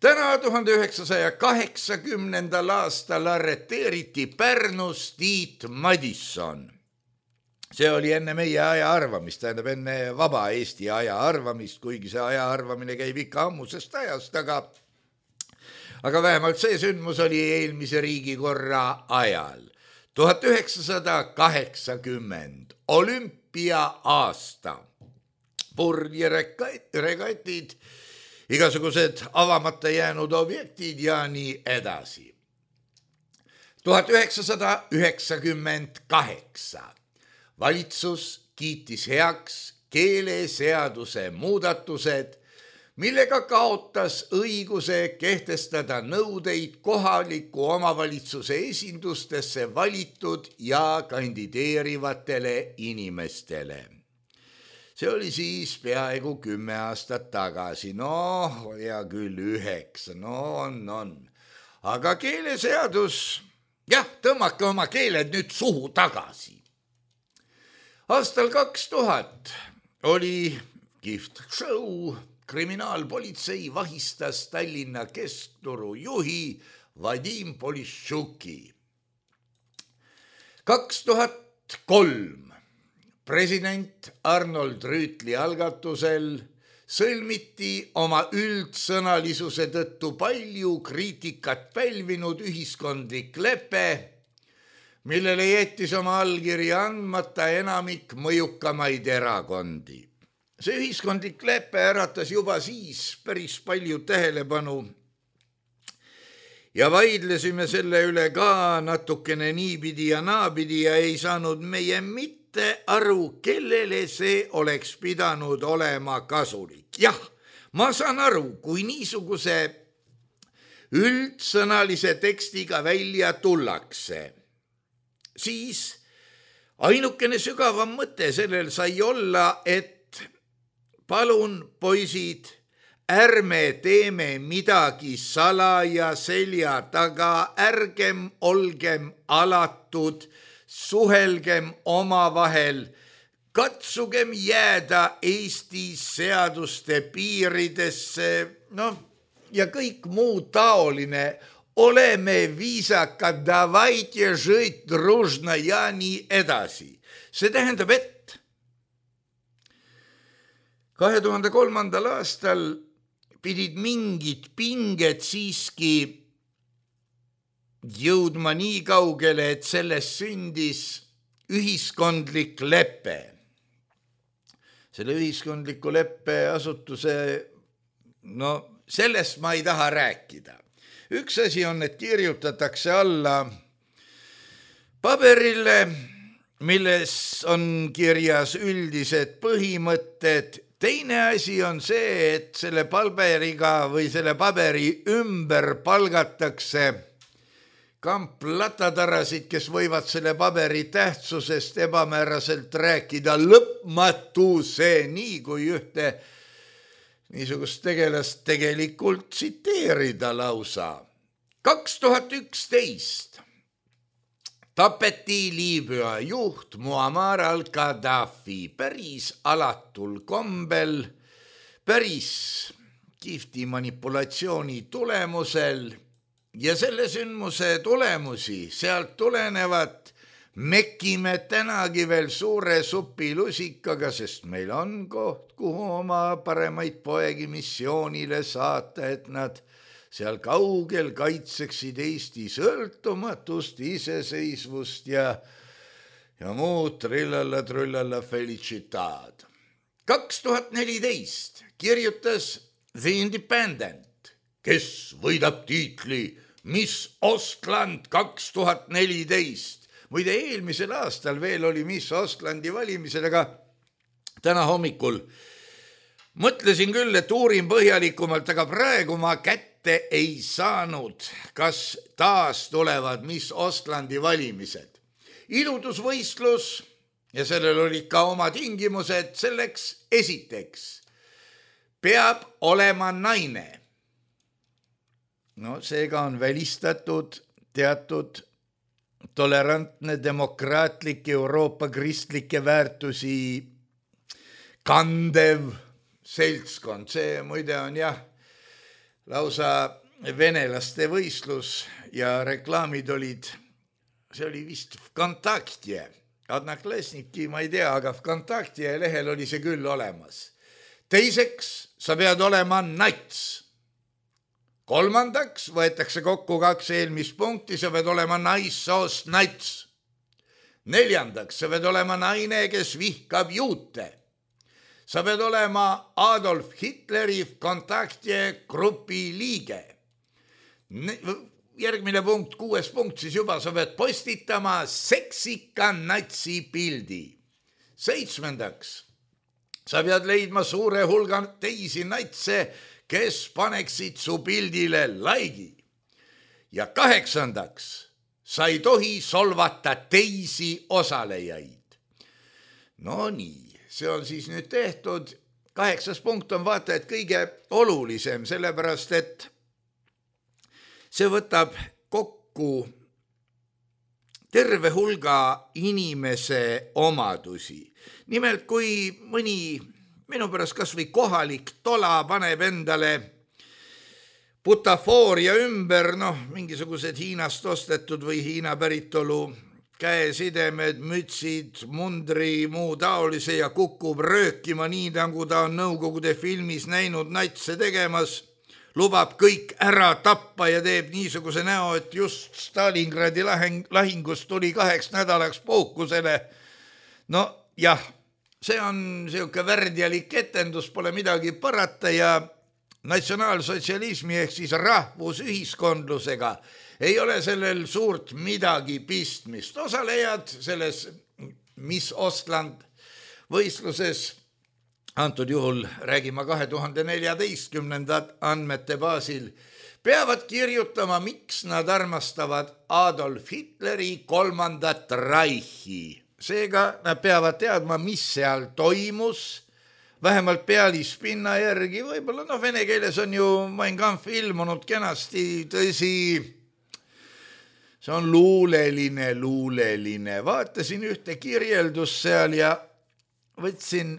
Täna tuhande üheksasaja kaheksakümnendal aastal arreteeriti Pärnus Tiit Madisson. See oli enne meie aja arvamist, tähendab enne vaba Eesti aja arvamist, kuigi see aja arvamine käib ikka ammusest ajast, aga, aga vähemalt see sündmus oli eelmise riigikorra ajal. tuhat üheksasada kaheksakümmend, olümpia aasta, purjeregatid, igasugused avamata jäänud objektid ja nii edasi. tuhat üheksasada üheksakümmend kaheksa. Valitsus kiitis heaks keeleseaduse muudatused, millega kaotas õiguse kehtestada nõudeid kohaliku omavalitsuse esindustesse valitud ja kandideerivatele inimestele. see oli siis peaaegu kümme aastat tagasi, noh, hea küll üheksa, no on, on. Aga keeleseadus, jah, tõmmake oma keeled nüüd suhu tagasi. Aastal kaks tuhat oli kihvt show, kriminaalpolitsei vahistas Tallinna Keskturu juhi Vadim Politšuki. kaks tuhat kolm president Arnold Rüütli algatusel sõlmiti oma üldsõnalisuse tõttu palju kriitikat pälvinud ühiskondlik lepe, millele jättis oma allkirja andmata enamik mõjukamaid erakondi. See ühiskondlik lepe äratas juba siis päris palju tähelepanu ja vaidlesime selle üle ka natukene niipidi ja naapidi ja ei saanud meie mitte aru, kellele see oleks pidanud olema kasulik. Jah, ma saan aru, kui niisuguse üldsõnalise tekstiga välja tullakse, siis ainukene sügavam mõte sellel sai olla, et palun, poisid, ärme teeme midagi salaja selja taga, ärgem olgem alatud, suhelgem omavahel, katsugem jääda Eesti seaduste piiridesse, noh, ja kõik muu taoline, oleme viisakad, davайте жить дружно ja nii edasi. See tähendab, et kahe tuhande kolmandal aastal pidid mingid pinged siiski jõudma nii kaugele, et sellest sündis ühiskondlik lepe. Selle ühiskondliku leppe asutuse, no sellest ma ei taha rääkida. Üks asi on, et kirjutatakse alla paberile, milles on kirjas üldised põhimõtted. Teine asi on see, et selle paberiga või selle paberi ümber palgatakse kamplatadarasid, kes võivad selle paberi tähtsusest ebamääraselt rääkida lõpmatuse, nii kui ühte niisugust tegelast tegelikult tsiteerida lausa. kaks tuhat üksteist tapeti Liibüa juht Muammar al-Gaddafi päris alatul kombel, päris kihvti manipulatsiooni tulemusel ja selle sündmuse tulemusi sealt tulenevat mekime tänagi veel suure supilusikaga, sest meil on koht, kuhu oma paremaid poegi missioonile saata, et nad seal kaugel kaitseksid Eesti sõltumatust, iseseisvust ja, ja muud trillalla trullalla felicitad. kaks tuhat neliteist kirjutas The Independent, kes võidab tiitli Miss Ostland kaks tuhat neliteist. Muide, eelmisel aastal veel oli Miss Ostlandi valimised, aga täna hommikul mõtlesin küll, et uurin põhjalikumalt, aga praegu ma kätte ei saanud, kas taas tulevad Miss Ostlandi valimised. Iludusvõistlus ja sellel olid ka oma tingimused, selleks esiteks peab olema naine. No seega on välistatud teatud tolerantne, demokraatlik, Euroopa kristlikke väärtusi kandev seltskond. See muide on jah, lausa venelaste võistlus ja reklaamid olid, see oli vist Vkontaktie, Adnaklesniki, ma ei tea, aga Vkontaktie lehel oli see küll olemas. Teiseks, sa pead olema nats. Kolmandaks võetakse kokku kaks eelmist punkti, sa pead olema naissoost nats. Neljandaks, sa pead olema naine, kes vihkab juute. Sa pead olema Adolf Hitleri Vkontaktie grupi liige. Järgmine punkt, kuues punkt, siis juba sa pead postitama seksika natsi pildi. Seitsmendaks, sa pead leidma suure hulga teisi natse, kes paneksid su pildile laigi. Ja kaheksandaks, sa ei tohi solvata teisi osalejaid. No nii. see on siis nüüd tehtud. Kaheksas punkt on vaata, et kõige olulisem, sellepärast, et see võtab kokku terve hulga inimese omadusi. Nimelt, kui mõni minu pärast kas või kohalik tola paneb endale butafooria ümber, noh, mingisugused Hiinast ostetud või Hiina päritolu käesidemed, mütsid, mundri, muu taolise ja kukub röökima nii, nagu ta on Nõukogude filmis näinud natse tegemas, lubab kõik ära tappa ja teeb niisuguse näo, et just Stalingradi lahing, lahingust tuli kaheks nädalaks puhkusele. No jah, see on siuke värdjalik etendus, pole midagi parata ja natsionaalsotsialismi ehk siis rahvusühiskondlusega ei ole sellel suurt midagi pistmist. Osalejad selles Miss Ostland võistluses, antud juhul räägime kahe tuhande neljateistkümnenda andmete baasil, peavad kirjutama, miks nad armastavad Adolf Hitleri kolmandat Reichi. Seega nad peavad teadma, mis seal toimus, vähemalt pealispinna järgi, võib-olla noh, vene keeles on ju Mein Kampf ilmunud kenasti, tõsi, see on luuleline, luuleline. Vaatasin ühte kirjeldust seal ja võtsin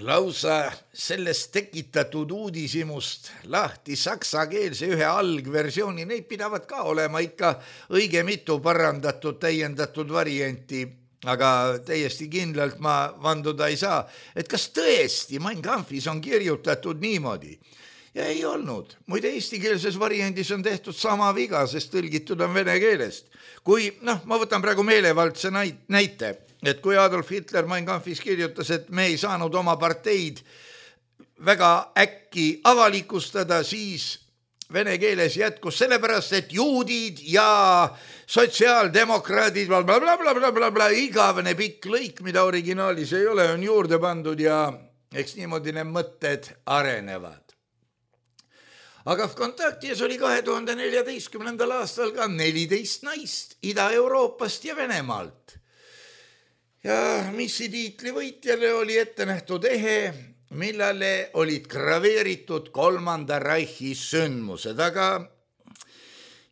lausa sellest tekitatud uudishimust lahti saksakeelse ühe algversiooni. Neid pidavad ka olema ikka õige mitu parandatud, täiendatud varianti, aga täiesti kindlalt ma vanduda ei saa, et kas tõesti Mein Kampfis on kirjutatud niimoodi. Ja ei olnud. Muide, eestikeelses variandis on tehtud sama viga, sest tõlgitud on vene keelest. Kui, noh, ma võtan praegu meelevaldse näite, et kui Adolf Hitler Mein Kampfis kirjutas, et me ei saanud oma parteid väga äkki avalikustada, siis vene keeles jätkus sellepärast, et juudid ja sotsiaaldemokraadid, blablabla, igavene pikk lõik, mida originaalis ei ole, on juurde pandud ja eks niimoodi need mõtted arenevad. Aga Vkontaktis oli kahe tuhande neljateistkümnendal aastal ka neliteist naist Ida-Euroopast ja Venemaalt. Ja missi tiitli võitjale oli ette nähtud ehe, millele olid graveeritud kolmanda Reichi sündmused, aga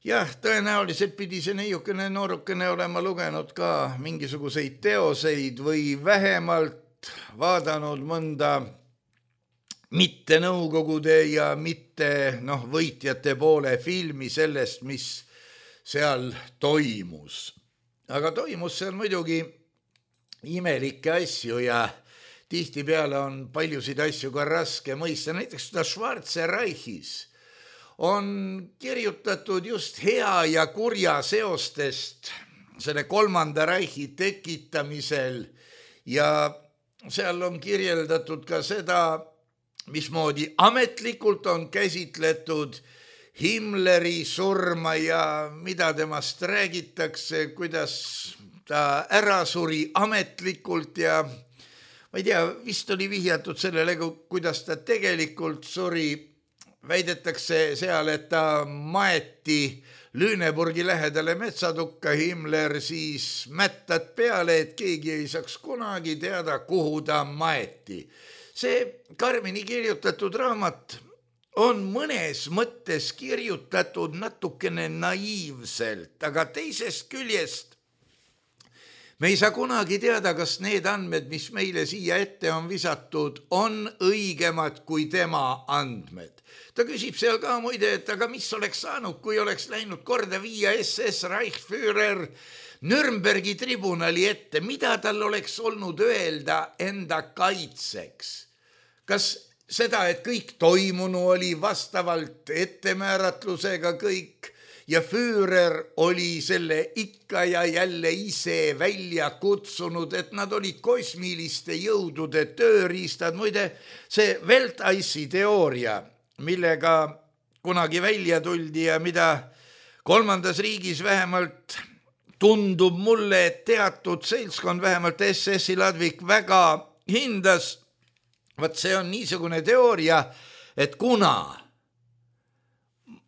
jah, tõenäoliselt pidi see neiukene noorukene olema lugenud ka mingisuguseid teoseid või vähemalt vaadanud mõnda mitte Nõukogude ja mitte noh, võitjate poole filmi sellest, mis seal toimus. Aga toimus seal muidugi imelikke asju ja tihtipeale on paljusid asju ka raske mõista. Näiteks seda Schwarze Reichis on kirjutatud just hea ja kurja seostest selle kolmanda Reichi tekitamisel ja seal on kirjeldatud ka seda, mismoodi ametlikult on käsitletud Himmleri surma ja mida temast räägitakse, kuidas ta ära suri ametlikult ja ma ei tea, vist oli vihjatud sellele, kuidas ta tegelikult suri. Väidetakse seal, et ta maeti Lüneburgi lähedale metsatukka, Himmler siis mättad peale, et keegi ei saaks kunagi teada, kuhu ta maeti. See karmini kirjutatud raamat on mõnes mõttes kirjutatud natukene naiivselt, aga teisest küljest me ei saa kunagi teada, kas need andmed, mis meile siia ette on visatud, on õigemad kui tema andmed. Ta küsib seal ka muide, et aga mis oleks saanud, kui oleks läinud korda viia S S Reichsführer Nürnbergi tribunali ette, mida tal oleks olnud öelda enda kaitseks? Kas seda, et kõik toimunu oli vastavalt ettemääratlusega kõik ja Führer oli selle ikka ja jälle ise välja kutsunud, et nad olid kosmiliste jõudude tööriistad. Muide, see Welteisi teooria, millega kunagi välja tuldi ja mida kolmandas riigis vähemalt tundub mulle, et teatud seltskond, vähemalt S S-i Ladvik väga hindas, vaat see on niisugune teooria, et kuna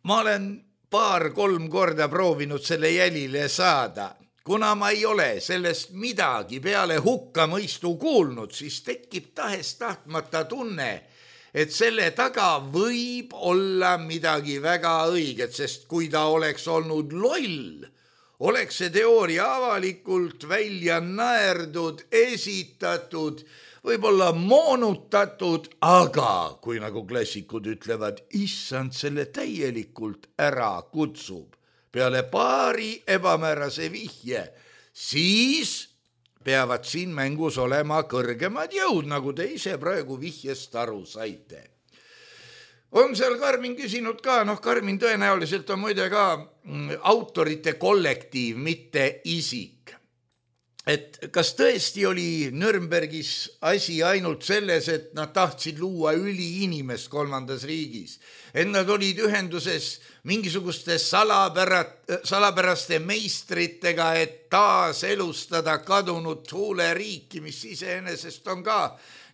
ma olen paar-kolm korda proovinud selle jälile saada, kuna ma ei ole sellest midagi peale hukkamõistu kuulnud, siis tekib tahes tahtmata tunne, et selle taga võib olla midagi väga õiget, sest kui ta oleks olnud loll, oleks see teooria avalikult välja naerdud, esitatud, võib-olla moonutatud, aga kui nagu klassikud ütlevad, issand selle täielikult ära kutsub peale paari ebamäärase vihje, siis peavad siin mängus olema kõrgemad jõud, nagu te ise praegu vihjest aru saite. On seal Karmin küsinud ka, noh Karmin tõenäoliselt on muide ka autorite kollektiiv, mitte isik. Et kas tõesti oli Nürnbergis asi ainult selles, et nad tahtsid luua üliinimest kolmandas riigis, et nad olid ühenduses mingisuguste salapärat, salapäraste meistritega, et taas elustada kadunud huuleriiki, mis iseenesest on ka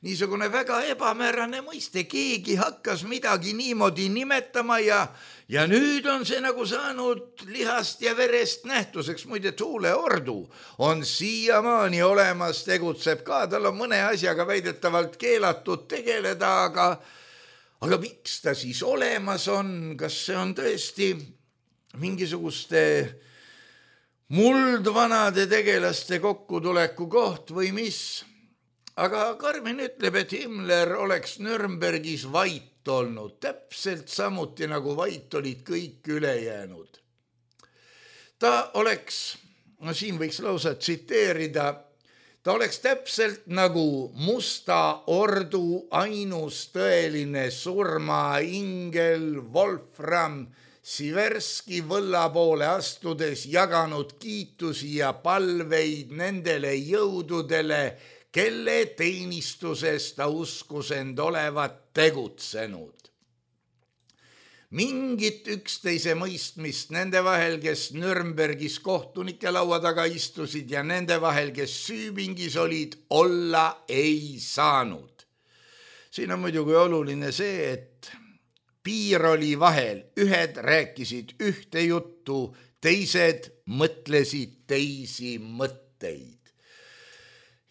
niisugune väga ebamäärane mõiste, keegi hakkas midagi niimoodi nimetama ja, ja nüüd on see nagu saanud lihast ja verest nähtuseks. Muide, huuleordu on siiamaani olemas, tegutseb ka, tal on mõne asjaga väidetavalt keelatud tegeleda, aga, aga miks ta siis olemas on? Kas see on tõesti mingisuguste muldvanade tegelaste kokkutuleku koht või mis? Aga Karmen ütleb, et Himmler oleks Nürnbergis vait olnud, täpselt samuti nagu vait olid kõik ülejäänud. Ta oleks, no siin võiks lausa tsiteerida, ta oleks täpselt nagu Musta ordu ainus tõeline surmaingel Wolfram Siverski võlla poole astudes jaganud kiitusi ja palveid nendele jõududele, kelle teenistuses ta uskus end olevat tegutsenud. Mingit üksteise mõistmist nende vahel, kes Nürnbergis kohtunike laua taga istusid ja nende vahel, kes süüpingis olid, olla ei saanud. Siin on muidugi oluline see, et piir oli vahel, ühed rääkisid ühte juttu, teised mõtlesid teisi mõtteid.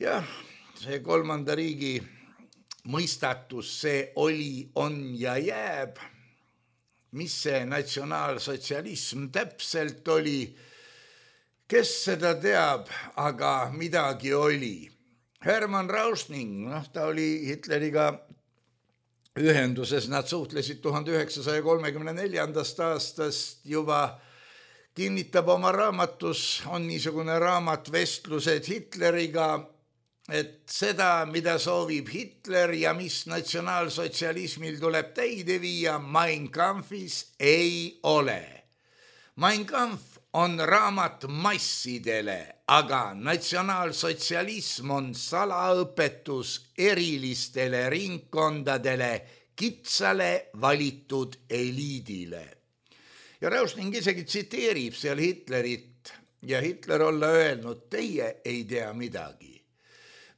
Jah, see kolmanda riigi mõistatus, see oli, on ja jääb. Mis see natsionaalsotsialism täpselt oli? Kes seda teab, aga midagi oli. Hermann Rauschning, noh, ta oli Hitleriga ühenduses, nad suhtlesid tuhande üheksasaja kolmekümne neljandast aastast juba, kinnitab oma raamatus, on niisugune raamat Vestlused Hitleriga, et seda, mida soovib Hitler ja mis natsionaalsotsialismil tuleb täide viia, Mein Kampfis ei ole. Mein Kampf on raamat massidele, aga natsionaalsotsialism on salaõpetus erilistele ringkondadele, kitsale valitud eliidile. Ja Rauschning isegi tsiteerib seal Hitlerit ja Hitler olla öelnud, teie ei tea midagi.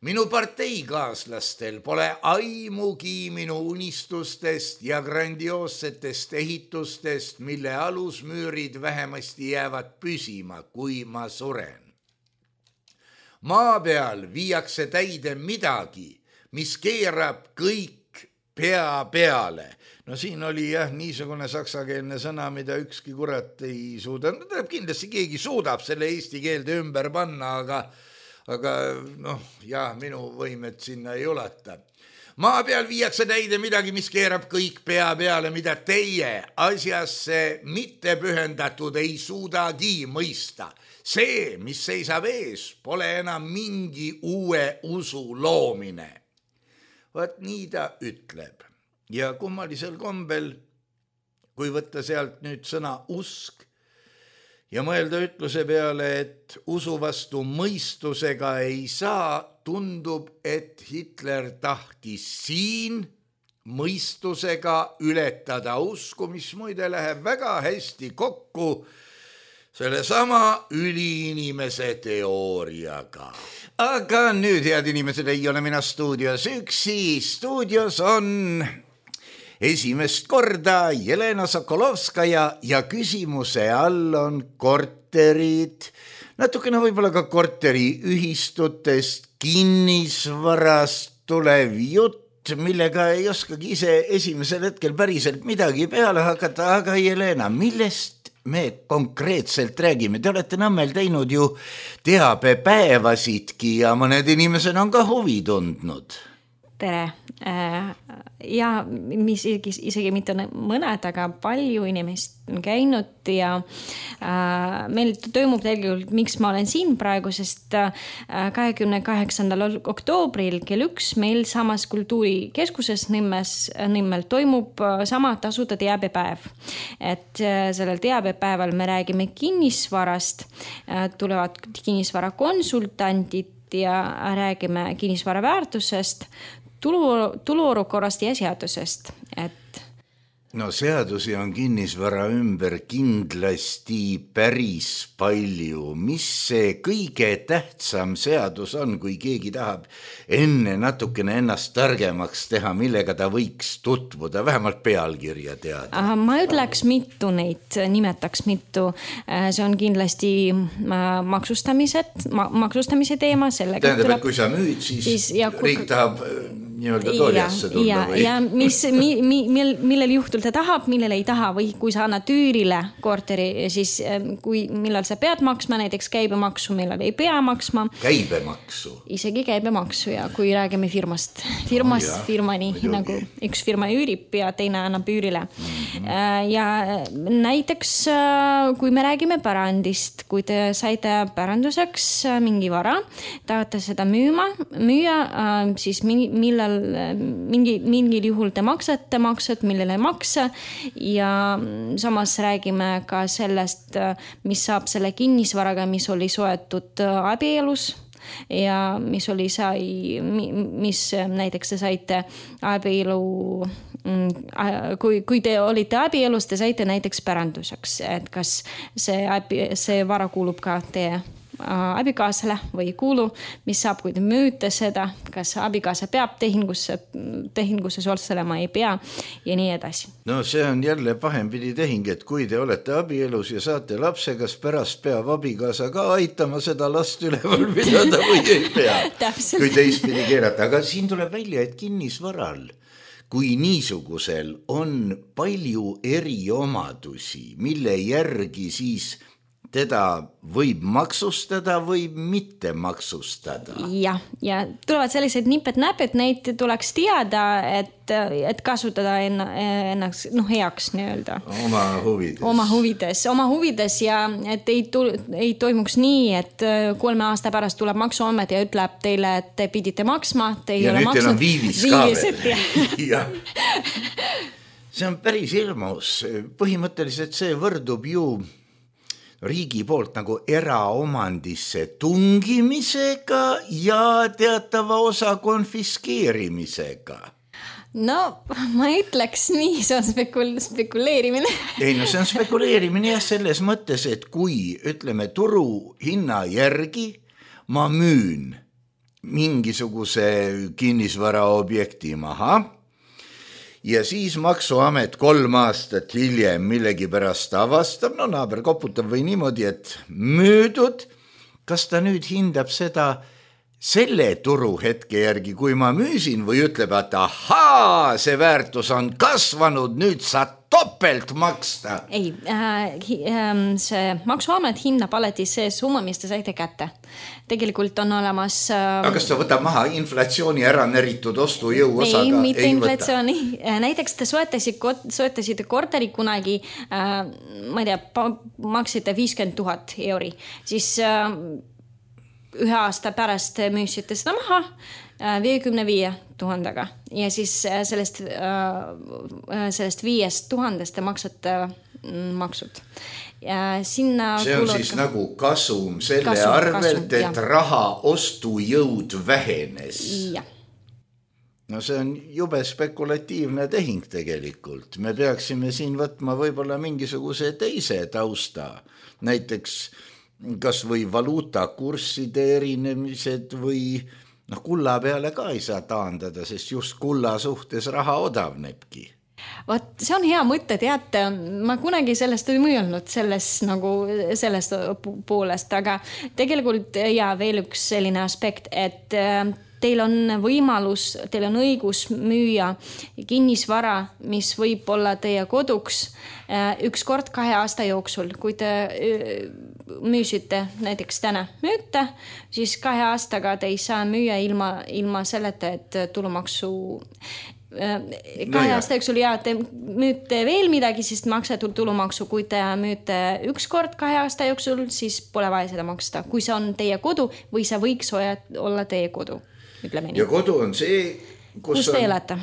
Minu parteikaaslastel pole aimugi minu unistustest ja grandioossetest ehitustest, mille alusmüürid vähemasti jäävad püsima, kui ma suren. Maa peal viiakse täide midagi, mis keerab kõik pea peale. No siin oli jah niisugune saksakeelne sõna, mida ükski kurat ei suuda. No, kindlasti keegi suudab selle eesti keelde ümber panna, aga aga noh, jah, minu võimed sinna ei ulata. Maa peal viiakse täide midagi, mis keerab kõik pea peale, mida teie asjasse mitte pühendatud ei suudagi mõista. See, mis seisab ees, pole enam mingi uue usu loomine. Vaat nii ta ütleb. Ja kummalisel kombel, kui võtta sealt nüüd sõna usk, ja mõelda ütluse peale, et usu vastu mõistusega ei saa, tundub, et Hitler tahtis siin mõistusega ületada usku, mis muide läheb väga hästi kokku selle sama üliinimese teooriaga. Aga nüüd, head inimesed, ei ole mina stuudios üksi. Stuudios on esimest korda Jelena Sokolovskaja ja küsimuse all on korterid. natukene võib-olla ka korteriühistutest, kinnisvarast tulev jutt, millega ei oskagi ise esimesel hetkel päriselt midagi peale hakata, aga Jelena, millest me konkreetselt räägime? Te olete Nõmmel teinud ju teabepäevasidki ja mõned inimesed on ka huvi tundnud.
Tere. Ja mis isegi mitte mõned, aga palju inimest on käinud ja meil toimub tegelikult, miks ma olen siin praegu, sest kahekümne kaheksandal oktoobril kell üks meil samas kultuurikeskuses Nõmmes, Nõmmel toimub sama tasuta teabepäev. Et sellel teabepäeval me räägime kinnisvarast, tulevad kinnisvara konsultandid ja räägime kinnisvara väärtusest, tulu, tuluolukorrast ja seadusest, et
no seadusi on kinnisvara ümber kindlasti päris palju. Mis see kõige tähtsam seadus on, kui keegi tahab enne natukene ennast targemaks teha, millega ta võiks tutvuda, vähemalt pealkirja teada?
Ma ütleks mitu neid, nimetaks mitu. See on kindlasti maksustamised, maksustamise teema.
Tähendab, tuleb... et kui sa müüd, siis, siis ja, riik kui... tahab nii-öelda tooljasse tulla
ja,
või?
Ja mis, mi, mi, millel juhtul ta tahab, millel ei taha või kui sa annad üürile korteri, siis kui, millal sa pead maksma näiteks käibemaksu, millal ei pea maksma.
Käibemaksu?
Isegi käibemaksu ja kui räägime firmast. Firmast oh, firmani, nagu üks firma üürib ja teine annab üürile. Mm-hmm. Ja näiteks kui me räägime pärandist, kui te saite päranduseks mingi vara, tahate seda müüma, müüa, siis millal mingi, mingil juhul te maksate maksed, millele ei maksa ja samas räägime ka sellest, mis saab selle kinnisvaraga, mis oli soetud abielus ja mis oli sai, mis näiteks te saite abielu, kui, kui te olite abielus, te saite näiteks päranduseks, et kas see, see vara kuulub ka teie abikaasale või kuulu, mis saab, kui te müüte seda, kas abikaasa peab tehingusse, tehingusse osalema, ei pea ja nii edasi.
No see on jälle pahempidi tehing, et kui te olete abielus ja saate lapse, kas pärast peab abikaasa ka aitama seda last üleval pidada või ei pea, kui teistpidi keerata. Aga siin tuleb välja, et kinnisvaral kui niisugusel on palju eriomadusi, mille järgi siis teda võib maksustada või mitte maksustada.
Ja, ja tulevad sellised nipet-näpet, neid tuleks teada, et, et kasutada ennaks no, heaks nii-öelda.
Oma huvides.
Oma huvides, oma huvides ja et ei, tu, ei toimuks nii, et kolme aasta pärast tuleb maksuamet ja ütleb teile, et te pidite maksma. Te
ja nüüd teil on viivis ka veel.
Ja.
See on päris ilmus. Põhimõtteliselt see võrdub ju riigi poolt nagu eraomandisse tungimisega ja teatava osa konfiskeerimisega.
No, ma ütleks nii, see on spekul- spekuleerimine.
Ei, no see on spekuleerimine jah selles mõttes, et kui, ütleme, turu hinna järgi ma müün mingisuguse kinnisvara objekti maha, ja siis maksuamet kolm aastat hiljem millegi pärast avastab, no naaber koputab või niimoodi, et müüdud, kas ta nüüd hindab seda selle turuhetke järgi, kui ma müüsin või ütleb, et ahaa, see väärtus on kasvanud, nüüd sa topelt maksta.
Ei, äh, see maksuamet hinnab alati see summa, mis te saite kätte. Tegelikult on olemas... Äh,
Aga kas ta võtab maha inflatsiooni ära neritud ostujõu osaga?
Ei, mitte ei inflatsiooni. Võta. Näiteks te soetasite, soetasite korteri kunagi, äh, ma ei tea, maksite viiskümmend tuhat euri. Siis äh, ühe aasta pärast müüsite seda maha viiekümne viie tuhandega ja siis sellest, sellest viiest tuhandest te maksate maksud. Ja sinna
see on siis ka... nagu kasum selle kasum, arvelt, kasum, et jah. Raha ostujõud vähenes.
Ja.
No see on jube spekulatiivne tehing tegelikult. Me peaksime siin võtma võib-olla mingisuguse teise tausta. Näiteks kas või valuutakursside erinemised või noh, kulla peale ka ei saa taandada, sest just kulla suhtes raha odavnebki.
Vot, see on hea mõte, teate, ma kunagi sellest ei mõelnud selles nagu sellest poolest, aga tegelikult ja veel üks selline aspekt, et teil on võimalus, teil on õigus müüa kinnisvara, mis võib olla teie koduks üks kord kahe aasta jooksul. Kui te müüsite näiteks täna müüte, siis kahe aastaga te ei saa müüa ilma, ilma selleta, et tulumaksu kahe no aasta jooksul ja te müüte veel midagi, siis maksate tulumaksu. Kui te müüte üks kord kahe aasta jooksul, siis pole vaja seda maksta. Kui see on teie kodu või see võiks olla teie kodu.
Ja kodu on see, kus,
kus te elate?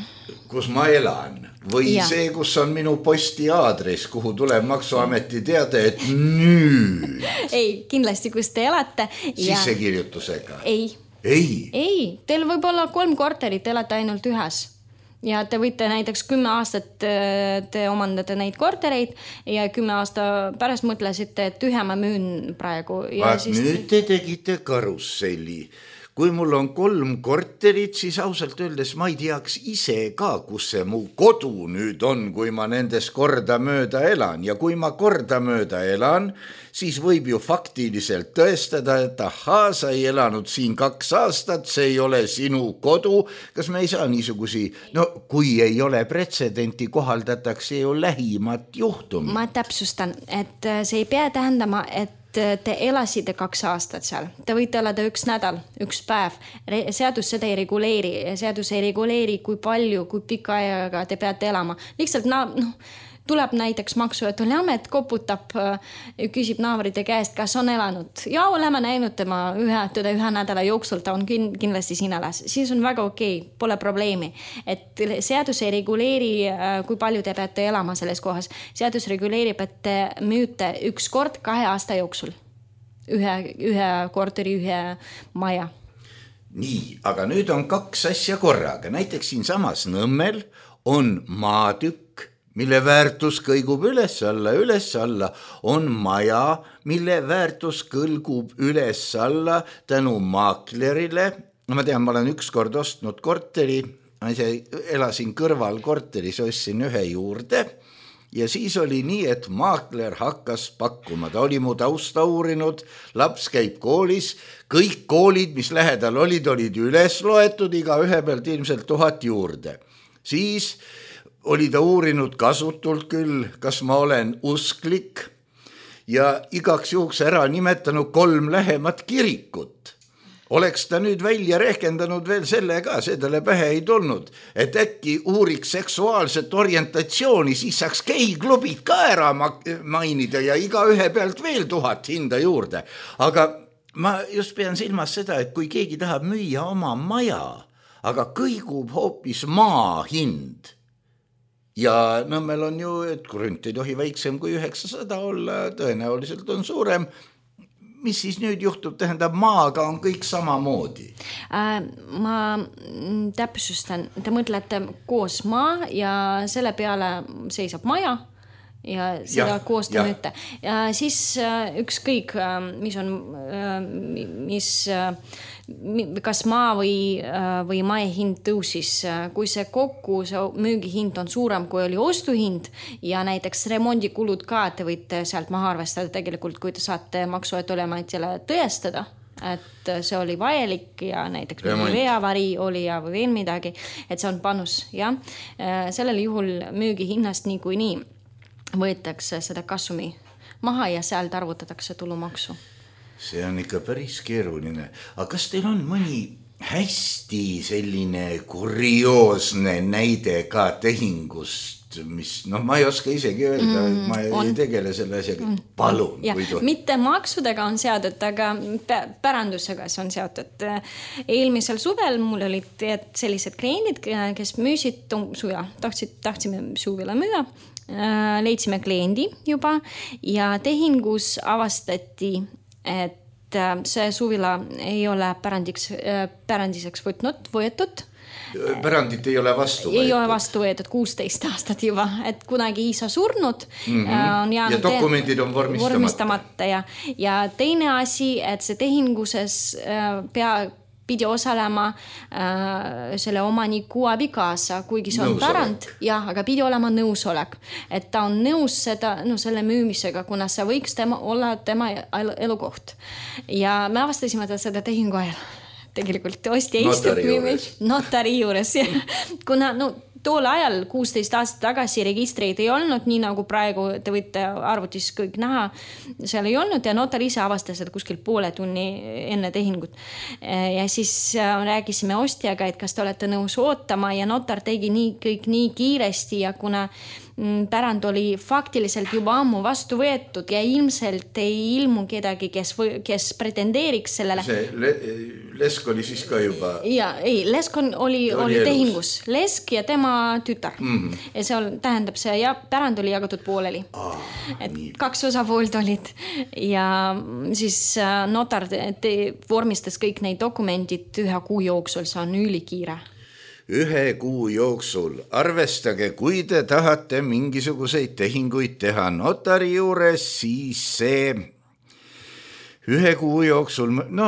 Kus ma elan. Või ja. See, kus on minu posti aadress, kuhu tuleb maksuameti teada, et nüüd.
Ei, kindlasti, kus te elate. Ja...
Sissekirjutusega.
Ei.
Ei.
Ei, teil võib olla kolm korterit, elate ainult ühes. Ja te võite näiteks kümme aastat te omandate neid kortereid ja kümme aasta pärast mõtlesite, et ühe ma müün praegu. Ja
Vaat siis... nüüd te tegite karusselli. Kui mul on kolm korterit, siis ausalt öeldes ma ei teaks ise ka, kus see mu kodu nüüd on, kui ma nendes korda mööda elan. Ja kui ma korda mööda elan, siis võib ju faktiliselt tõestada, et ahaa, sa ei elanud siin kaks aastat, see ei ole sinu kodu. Kas me ei saa niisugusi, no kui ei ole pretsedenti, kohaldatakse ju lähimat juhtumi.
Ma täpsustan, et see ei pea tähendama, et te elasite kaks aastat seal. Te võite elada üks nädal, üks päev. Seadus seda ei reguleeri. Seadus ei reguleeri, kui palju, kui pika ajaga te peate elama. Lihtsalt no, tuleb näiteks maksu, et oli amet, koputab, küsib naabrite käest, kas on elanud. Ja oleme näinud tema ühe, teda ühe nädala jooksul, ta on kindlasti siin elas. Siis on väga okei, pole probleemi. Et seadus ei reguleeri, kui palju te peate elama selles kohas. Seadus reguleerib, et te müüte üks kord kahe aasta jooksul. Ühe, ühe korteri, ühe maja.
Nii, aga nüüd on kaks asja korraga. Näiteks siin samas Nõmmel on maatükk, mille väärtus kõigub üles alla, üles alla, on maja, mille väärtus kõlgub üles alla tänu maaklerile. Ma tean, ma olen üks kord ostnud korteri, ma ise elasin kõrval korteris, ostsin ühe juurde ja siis oli nii, et maakler hakkas pakkuma. Ta oli mu tausta uurinud, laps käib koolis, kõik koolid, mis lähedal olid, olid üles loetud, iga ühe pealt ilmselt tuhat juurde. Siis oli ta uurinud kasutult küll, kas ma olen usklik ja igaks juhuks ära nimetanud kolm lähemat kirikut. Oleks ta nüüd välja rehkendanud veel selle ka, see talle pähe ei tulnud, et äkki uuriks seksuaalset orientatsiooni, siis saaks geiklubid ka ära mainida ja iga ühe pealt veel tuhat hinda juurde. Aga ma just pean silmas seda, et kui keegi tahab müüa oma maja, aga kõigub hoopis maa hind, ja Nõmmel on ju, et krünt ei tohi väiksem kui üheksasada olla, tõenäoliselt on suurem. Mis siis nüüd juhtub, tähendab maaga on kõik samamoodi?
Äh, ma täpsustan, te mõtlete koos maa ja selle peale seisab maja ja seda ja, koos te müüte. Ja siis ükskõik, mis on, mis, kas maa või, või mae hind tõusis, kui see kokku, see müügihind on suurem, kui oli ostuhind ja näiteks remondikulud ka, te võite sealt maha arvestada tegelikult, kui te saate maksu- ja tolliametile tõestada, et see oli vajalik ja näiteks veeavari oli ja või veel midagi, et see on panus. Ja? Sellel juhul müügihinnast nii kui nii võetakse seda kasumi maha ja sealt arvutatakse tulumaksu.
See on ikka päris keeruline. Aga kas teil on mõni hästi selline kurioosne näide ka tehingust, mis, noh, ma ei oska isegi öelda, mm, ma on. ei tegele selle asjaga. Palun.
Ja, mitte maksudega on seotud, aga pärandusega see on seotud. Eelmisel suvel mul olid sellised kliendid, kes müüsid suja, tahtsid, tahtsime suvila müüa. Leidsime kliendi juba ja tehingus avastati, et see suvila ei ole pärandiks, pärandiseks võtnud, võetud.
Pärandit ei ole vastu võetud.
Ei ole vastu võetud kuusteist aastat juba, et kunagi isa surnud.
Mm-hmm. On ja dokumendid on vormistamata.
vormistamata ja, ja teine asi, et see tehinguses pea pidi osalema äh, selle omaniku abikaasa, kuigi see on pärand, jah, aga pidi olema nõusolek, et ta on nõus seda, no, selle müümisega, kuna see võiks tema, olla tema elukoht. Ja me avastasime ta seda tehingu ajal. Tegelikult ostja istub notari juures, kuna no, tool ajal kuusteist aastat tagasi registreid ei olnud, nii nagu praegu te võite arvutis kõik näha, seal ei olnud ja notar ise avastas seda kuskil poole tunni enne tehingut. Ja siis rääkisime ostjaga, et kas te olete nõus ootama ja notar tegi nii, kõik nii kiiresti ja kuna pärand oli faktiliselt juba ammu vastu võetud ja ilmselt ei ilmu kedagi, kes, või, kes pretendeeriks sellele.
See le, Lesk oli siis ka juba... Ja,
ei, Lesk on, oli, oli, oli tehingus. Lesk ja tema tütar. Mm-hmm. Ja see on, tähendab see, ja pärand oli jagatud pooleli. Ah, et nii. Kaks osapoolt olid ja siis notar te, vormistas kõik neid dokumendid ühe kuu jooksul, see on ülikiire.
Ühe kuu jooksul. Arvestage, kui te tahate mingisuguseid tehinguid teha notari juures, siis see ühe kuu jooksul, no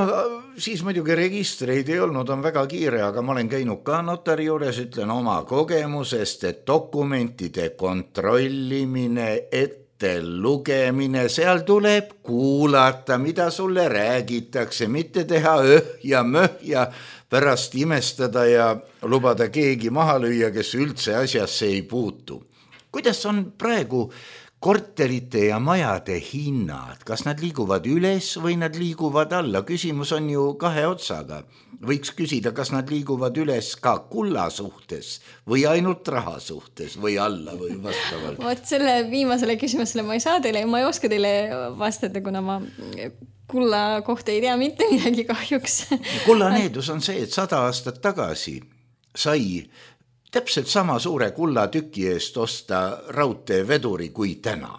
siis muidugi registreid ei olnud, on väga kiire, aga ma olen käinud ka notari juures, ütlen oma kogemusest, et dokumentide kontrollimine, ette lugemine, seal tuleb kuulata, mida sulle räägitakse, mitte teha öh ja möh ja pärast imestada ja lubada keegi maha lüüa, kes üldse asjasse ei puutu. Kuidas on praegu korterite ja majade hinnad? Kas nad liiguvad üles või nad liiguvad alla? Küsimus on ju kahe otsaga. Võiks küsida, kas nad liiguvad üles ka kulla suhtes või ainult raha suhtes või alla või vastavalt.
Vot selle viimasele küsimusele ma ei saa teile, ma ei oska teile vastada, kuna ma kulla kohta ei tea mitte midagi kahjuks.
Kulla needus on see, et sada aastat tagasi sai täpselt sama suure kulla tüki eest osta raudteeveduri kui täna.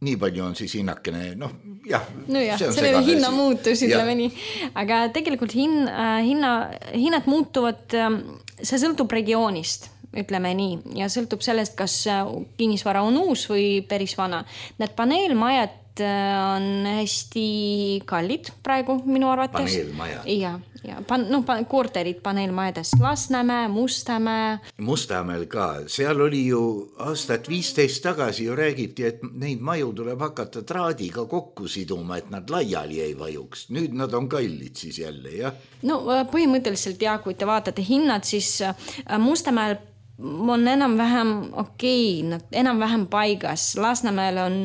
Nii palju on siis hinnakene, noh, jah.
No jah, see selle hinna muutus, ütleme nii. Aga tegelikult hin, hinna, hinnad muutuvad, see sõltub regioonist, ütleme nii, ja sõltub sellest, kas kinnisvara on uus või päris vana. Need paneelmajad on hästi kallid praegu minu arvates.
Paneelmaja.
Ja, ja pan, no, pan, korterid paneelmajades. Lasnamäe, Mustamäe.
Mustamäel ka. Seal oli ju aastat viisteist tagasi ju räägiti, et neid maju tuleb hakata traadiga kokku siduma, et nad laiali ei vajuks. Nüüd nad on kallid siis jälle, jah? No
põhimõtteliselt jah, kui te vaatate hinnad, siis Mustamäel on enam-vähem okei, okay, enam-vähem paigas. Lasnamäel on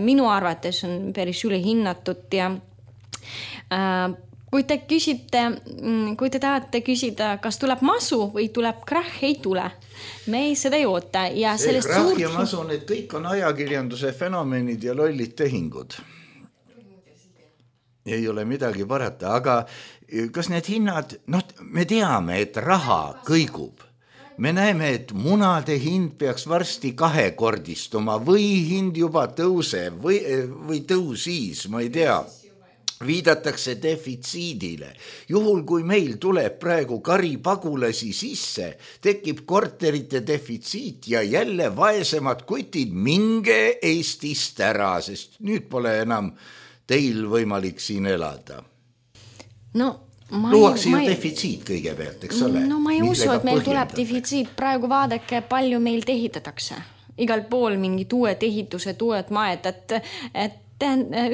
minu arvates on päris üle hinnatud ja äh, kui te küsite, kui te tahate küsida, kas tuleb masu või tuleb krahh, ei tule. Me ei seda ei oota. Ja
see krahh suurt... ja masu, need kõik on ajakirjanduse fenomenid ja lollid tehingud. Ei ole midagi parata, aga kas need hinnad, noh, me teame, et raha kõigub. Me näeme, et munade hind peaks varsti kahekordistuma või hind juba tõuseb või, või tõusis, ma ei tea. Viidatakse defitsiidile. Juhul, kui meil tuleb praegu karipagulasi sisse, tekib korterite defitsiit ja jälle vaesemad kutid, minge Eestist ära, sest nüüd pole enam teil võimalik siin elada.
No...
Luuakse ju defitsiit kõigepealt, eks ole?
No ma ei usu, et meil tuleb defitsiit. Praegu vaadake, palju meil tehitatakse. Igal pool mingid uued ehitused, uued maed, et, et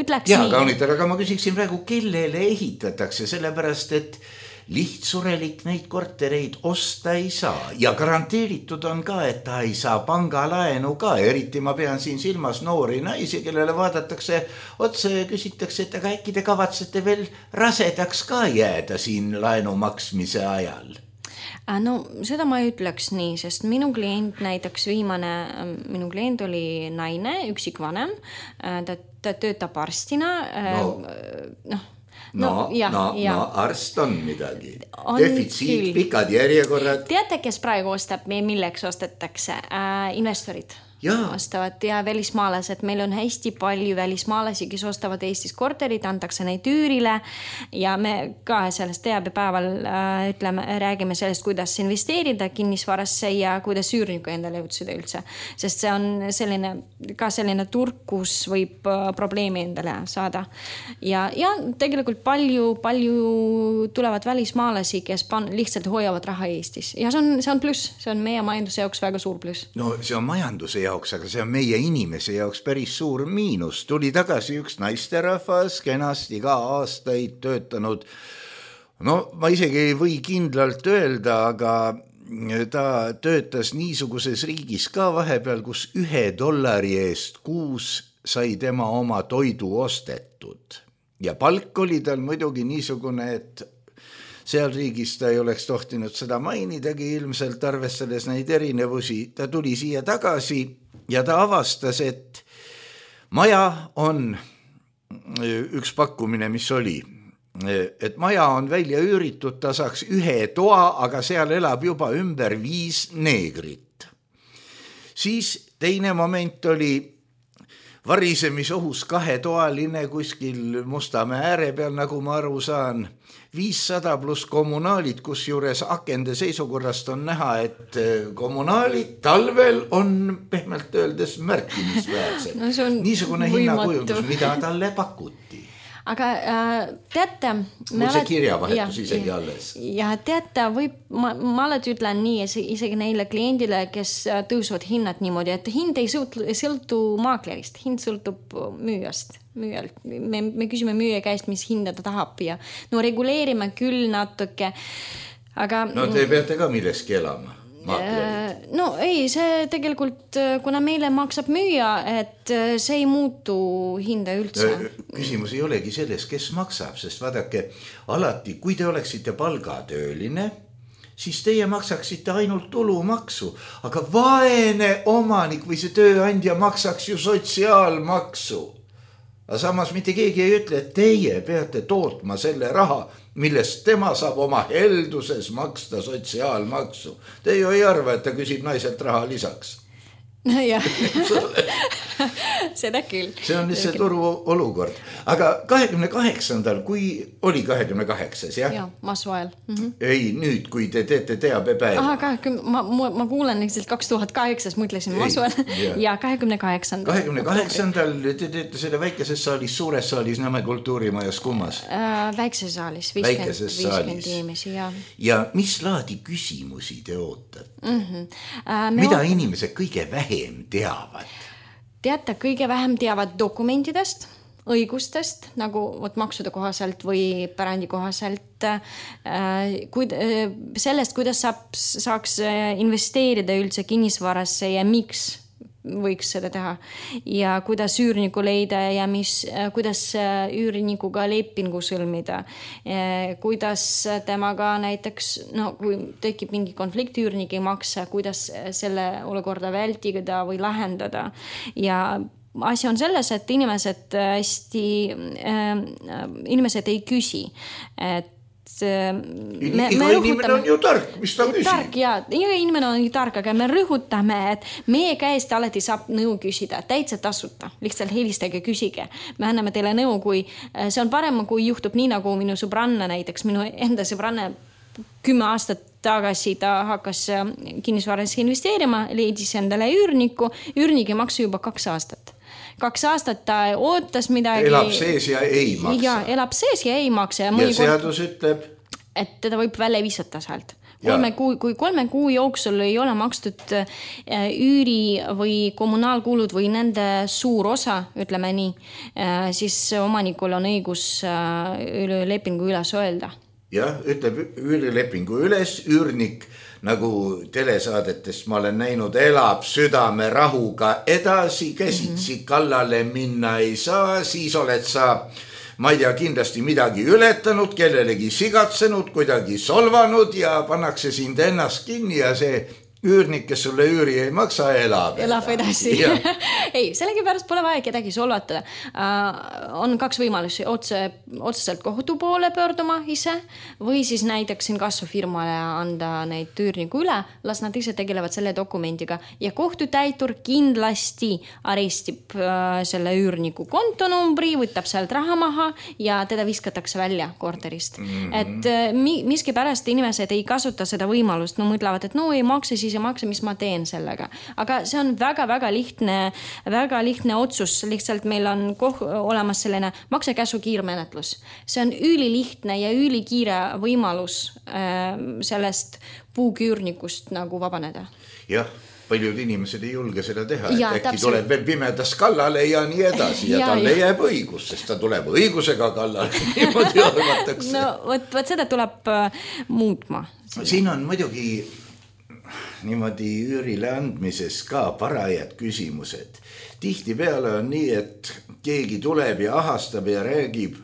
ütleks
ja, nii. Kaunitar, aga ma küsiksin praegu, kellele ehitatakse, sellepärast, et lihtsurelik neid kortereid osta ei saa ja garanteeritud on ka, et ta ei saa pangalaenu ka, eriti ma pean siin silmas noori naisi, kellele vaadatakse otsa ja küsitakse, et aga äkki te kavatsete veel rasedaks ka jääda siin laenu maksmise ajal?
No seda ma ei ütleks nii, sest minu klient näiteks viimane, minu klient oli naine, üksikvanem, ta, ta töötab arstina, no,
noh, No, no, ja, no, ja. no arst on midagi. On defitsiit, küll. Pikad järjekorrad.
Teate, kes praegu ostab, milleks ostetakse? Äh, investorid.
Jaa.
ostavad ja välismaalased. Meil on hästi palju välismaalasi, kes ostavad Eestis korterid, antakse neid üürile ja me ka sellest teabepäeval äh, ütleme, räägime sellest, kuidas investeerida kinnisvarasse ja kuidas üürniku endale jõudsida üldse. Sest see on selline, ka selline turg, kus võib äh, probleemi endale saada. Ja, ja tegelikult palju, palju tulevad välismaalasi, kes pan, lihtsalt hoiavad raha Eestis. Ja see on, see on pluss, see on meie majanduse jaoks väga suur pluss.
No see on majanduse jaoks, aga see on meie inimese jaoks päris suur miinus. Tuli tagasi üks naisterahvas, kenasti ka aastaid töötanud. No ma isegi ei või kindlalt öelda, aga ta töötas niisuguses riigis ka vahepeal, kus ühe dollari eest kuus sai tema oma toidu ostetud. Ja palk oli tal muidugi niisugune, et seal riigis ta ei oleks tohtinud seda mainidagi ilmselt arvestades neid erinevusi. Ta tuli siia tagasi ja ta avastas, et maja on üks pakkumine, mis oli, et maja on välja üüritud, ta saaks ühe toa, aga seal elab juba ümber viis neegrit. Siis teine moment oli varisemisohus kahetoaline kuskil Mustamäe ääre peal, nagu ma aru saan, viissada pluss kommunaalid, kus juures akende seisukorrast on näha, et kommunaalid talvel on pehmelt öeldes märkimisväärsed.
No
niisugune hinnakujundus, mida talle pakuti.
Aga äh, teate...
Mul see kirjavahetus ja, isegi alles.
Ja teate, võib, ma, ma alati ütlen nii, isegi neile kliendile, kes tõusuvad hinnad niimoodi, et hind ei sõltu, sõltu maaklerist, hind sõltub müüjast. Müüjalt. Me, me küsime müüja käest, mis hinda ta tahab ja no reguleerime küll natuke, aga...
No te peate ka milleski elama.
No ei, see tegelikult, kuna meile maksab müüa, et see ei muutu hinda üldse.
Küsimus ei olegi selles, kes maksab, sest vaadake, alati, kui te oleksite palgatööline, siis teie maksaksite ainult tulumaksu, aga vaene omanik või see tööandja maksaks ju sotsiaalmaksu. Aga samas mitte keegi ei ütle, et teie peate tootma selle raha, millest tema saab oma helduses maksta sotsiaalmaksu. Te ju ei arva, et ta küsib naiselt raha lisaks.
No jah, seda küll.
See on lihtsalt turu olukord. Aga kahekümne kaheksandal, kui oli kahekümne kaheksas, jah?
Jah, Masuel. Mm-hmm.
Ei, nüüd, kui te teete teabepäeva.
Aha, kahekümne, ma, ma kuulen lihtsalt kaks tuhat kaheksa, mõtlesin Masuel ja kahekümne kaheksandal.
kahekümne kaheksandal te teete selle väikeses saalis, suures saalis Nõmme kultuurimajas kummas?
Äh, väikeses saalis, viiskümmend inimesi, jah.
Ja mis laadi küsimusi te ootate?
Mm-hmm. Äh,
Mida
oot...
inimesed kõige vähem teavad?
Teate, kõige vähem teavad dokumentidest, õigustest, nagu võt, maksude kohaselt või pärandi kohaselt, kuid, sellest, kuidas saab, saaks investeerida üldse kinnisvarasse ja miks võiks seda teha ja kuidas üürniku leida ja mis, kuidas üürnikuga lepingu sõlmida, kuidas temaga näiteks, no kui tekib mingi konflikt, üürnik ei maksa, kuidas selle olukorda vältida või lahendada ja asi on selles, et inimesed hästi, inimesed ei küsi, et
Me, iga me inimene on ju tark, mis ta küsib?
Tark, jaa, iga inimene on ju tark, aga me rõhutame, et meie käest alati saab nõu küsida, täitsa tasuta, lihtsalt helistage, küsige. Me anname teile nõu, kui see on parem, kui juhtub nii, nagu minu sõbranna näiteks, minu enda sõbranna kümme aastat tagasi ta hakkas kinnisvarasse investeerima, leidis endale üürniku, üürnigi maksu juba kaks aastat. Kaks aastat ta ootas midagi.
Elab sees ja ei maksa.
Ja, elab sees ja ei maksa. Ja,
ja seadus ütleb?
Et teda võib välja viisata sealt. Kolme kuu, kui kolme kuu jooksul ei ole makstud üüri või kommunaalkulud või nende suur osa, ütleme nii, siis omanikul on õigus lepingu üles öelda.
Jah, ütleb üürilepingu üles, üürnik nagu telesaadetest ma olen näinud, elab südame rahuga edasi, käsitsi kallale minna ei saa, siis oled sa, ma ei tea, kindlasti midagi ületanud, kellelegi sigatsenud, kuidagi solvanud ja pannakse sind ennast kinni ja see üürnik, kes sulle üüri ei maksa, elab.
Elab edasi. Ei, sellegipärast pole vaja kedagi solvatada. Uh, on kaks võimalusi, otse, otseselt kohtu poole pöörduma ise või siis näiteks siin kassufirmale anda neid üürniku üle, las nad ise tegelevad selle dokumendiga ja kohtutäitur kindlasti arestib uh, selle üürniku kontonumbri, võtab sealt raha maha ja teda viskatakse välja korterist. Mm-hmm. Et uh, miski pärast inimesed ei kasuta seda võimalust, no mõtlevad, et no ei maksa siis ja maksa, mis ma teen sellega. Aga see on väga-väga lihtne, väga lihtne otsus. Lihtsalt meil on koh- olemas selline maksekäsu kiirmenetlus. See on ülilihtne ja ülikiire võimalus äh, sellest puuküürnikust nagu vabaneda.
Jah, paljud inimesed ei julge seda teha.
Ja,
äkki
täpselt.
tuleb veel pimedas kallale ja nii edasi ja, ja talle ja. jääb õigus, sest ta tuleb õigusega kallale. Niimoodi arvatakse.
No võt, võt seda tuleb äh, muutma.
Siin on muidugi niimoodi üürile andmises ka parajad küsimused. Tihti peale on nii, et keegi tuleb ja ahastab ja räägib,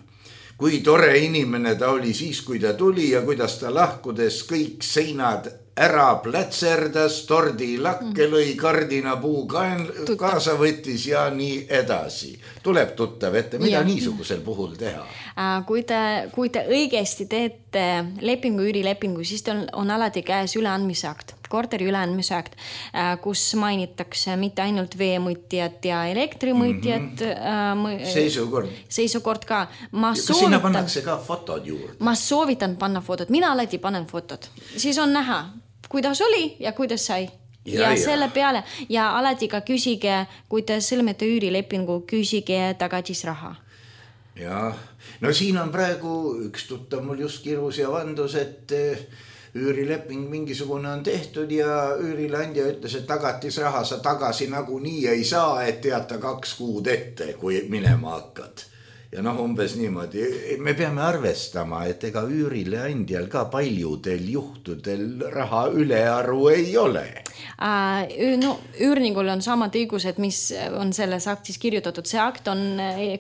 kui tore inimene ta oli siis, kui ta tuli ja kuidas ta lahkudes kõik seinad ära plätserdas, tordi lakke lõi, kardinapuu kaasa võttis ja nii edasi. Tuleb tuttav ette, mida ja. niisugusel puhul teha?
Kui te, kui te õigesti teete lepingu, üürilepingu, siis on, on alati käes üleandmise akt, korteri üleandmise akt, kus mainitakse mitte ainult veemõtjad ja elektrimõtjad. Mm-hmm.
Seisukord.
Seisukord ka. Ma
kas soovitan, sinna pannakse ka fotod juurde?
Ma soovitan panna fotod. Mina alati panen fotod. Siis on näha, kuidas oli ja kuidas sai. Ja, ja, ja selle peale. Ja alati ka küsige, kui te sõlmete üürilepingu, küsige tagatisraha.
Ja, no siin on praegu üks tuttav mul just kirus ja vandus, et üürileping mingisugune on tehtud ja üürilandja ütles, et tagatisraha sa tagasi nagu nii ei saa, et teata kaks kuud ette, kui minema hakkad. Ja noh, umbes niimoodi. Me peame arvestama, et ega üürileandjal ka paljudel juhtudel raha ülearu ei ole.
No, üürningul on samad õigused, mis on selles aktis kirjutatud. See akt on,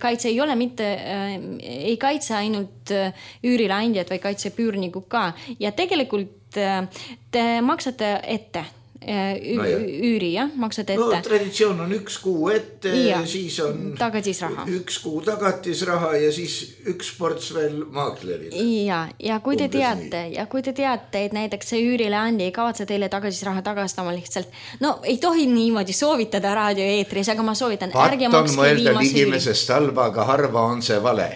kaitse ei ole mitte, ei kaitse ainult üürileandjad, või kaitseb üürniku ka. Ja tegelikult te maksate ette. Ü- no üüri, jah, maksad ette.
No, traditsioon on üks kuu ette, ja, siis on
tagatisraha.
üks kuu tagatisraha ja siis üks ports veel maaklerile.
Ja, ja kui te teate, ja kui te teate, et näiteks see üürileandja ei kavatse teile tagatisraha tagastama lihtsalt, no ei tohi niimoodi soovitada raadioeetris, aga ma soovitan, ärge makske
viimase üüri. Patt on mõelda ligimesest halba, aga harva on see vale.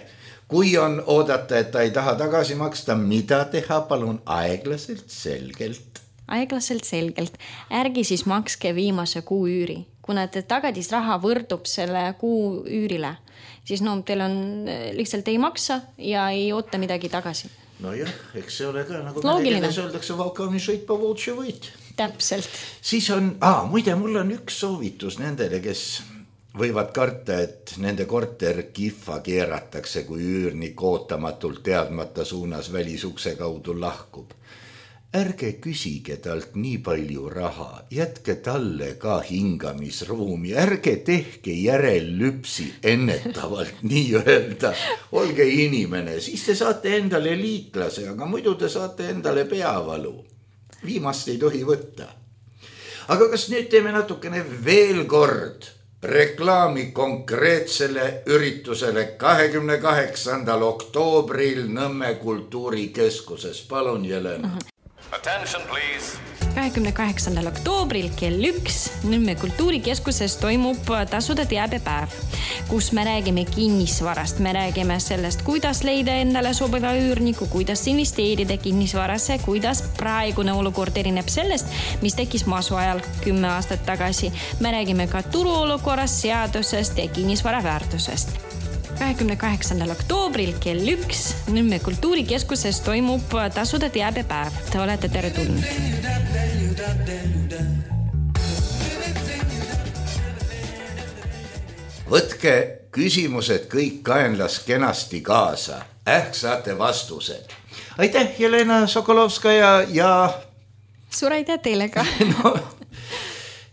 Kui on oodata, et ta ei taha tagasi maksta, mida teha, palun aeglaselt, selgelt.
Aeglaselt selgelt. Ärgi siis makske viimase kuu üüri. Kuna te tagatisraha võrdub selle kuu üürile, siis no, teil on lihtsalt ei maksa ja ei oota midagi tagasi.
No jah, eks see ole ka, nagu me öeldakse, valkavni šõit pa voltši võit.
Täpselt.
Siis on, aa, muide, mul on üks soovitus nendele, kes võivad karta, et nende korter kihva keeratakse, kui üürnik ootamatult teadmata suunas välisukse kaudu lahkub. Ärge küsige talt nii palju raha, jätke talle ka hingamisruumi, ärge tehke järellüpsi ennetavalt nii öelda. Olge inimene, siis te saate endale liitlase, aga muidu te saate endale peavalu. Viimast ei tohi võtta. Aga kas nüüd teeme natukene veel kord reklaami konkreetsele üritusele kahekümne kaheksandal oktoobril Nõmme kultuurikeskuses. Palun, Jelena.
Attention, please.
kahekümne kaheksandal oktoobril kell üks Nõmme kultuurikeskuses toimub tasude teabepäev, kus me räägime kinnisvarast, me räägime sellest, kuidas leida endale sobiva üürniku, kuidas investeerida kinnisvarasse, kuidas praegune olukord erineb sellest, mis tekkis masu ajal kümme aastat tagasi. Me räägime ka turuolukorrast, seadusest ja kinnisvara väärtusest. kahekümne kaheksandal oktoobril kell üks Nõmme kultuurikeskuses toimub tasude teabepäev. Te olete tere tulnud.
Võtke küsimused kõik kaenlas kenasti kaasa. Ähk saate vastused. Aitäh, Jelena Sokolovskaja ja...
Suur aitäh teile ka.
No,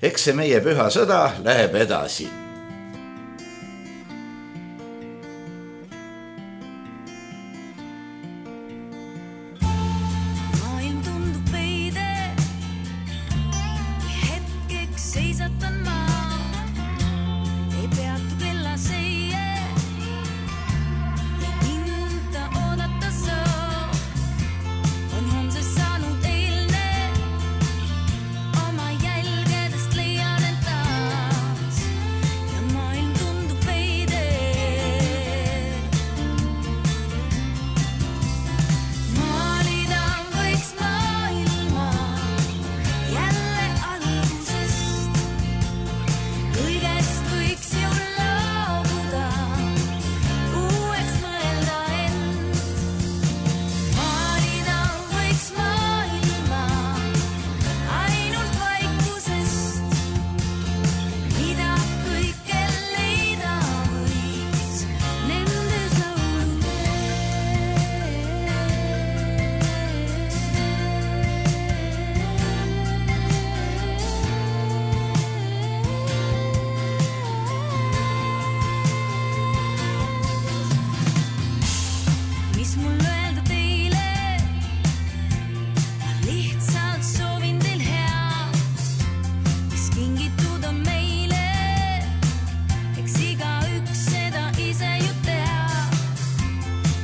eks see meie püha sõda läheb edasi.
seisatan ma, ei peatu kella seie ja mind ta oodata saa. On homses saanud eilne, oma jälgedest leian end taas ja maailm tundub veide. Maalida võiks maailma jälle algusest, kõigest võiks ju loobuda, uueks mõelda end. Maalida võiks maailma ainult vaikusest, mida kõike leida võiks nendes lauludes. Mis mul öelda teile, ma lihtsalt soovin teil head, mis kingitud on meile, eks igaüks seda ise ju teab.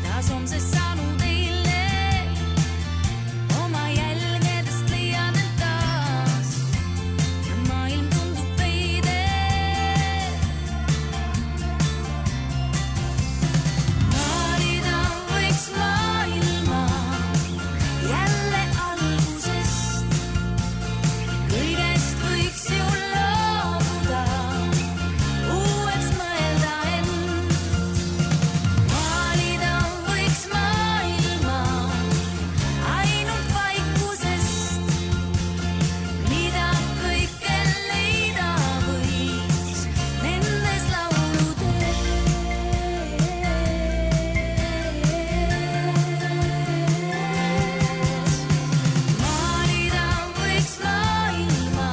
Taas homses saanud eilne, oma jälgedest leian end taas ja maailm tundub veide. Maalida võiks maailma jälle algusest, kõigest võiks ju loobuda, uueks mõelda end. Maalida võiks maailma ainult vaikusest, mida kõike leida võiks nendes lauludes. Maalida võiks maailma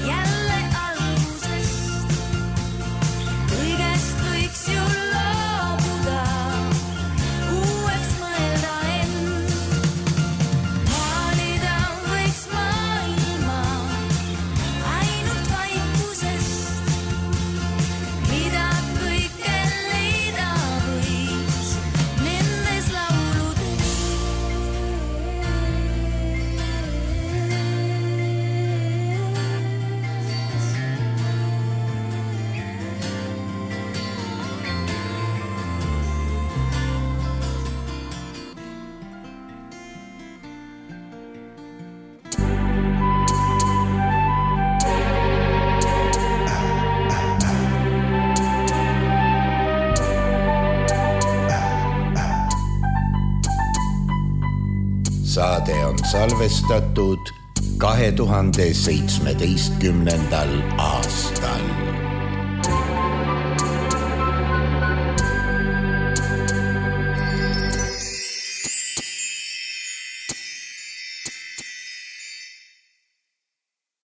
jälle algusest, kõigest võiks ju loobuda, uueks mõelda end. Maalida võiks maailma ainult vaikusest, mida kõike leida võiks nendes lauludes.
Saade on salvestatud kahe tuhande seitsmeteistkümnendal aastal.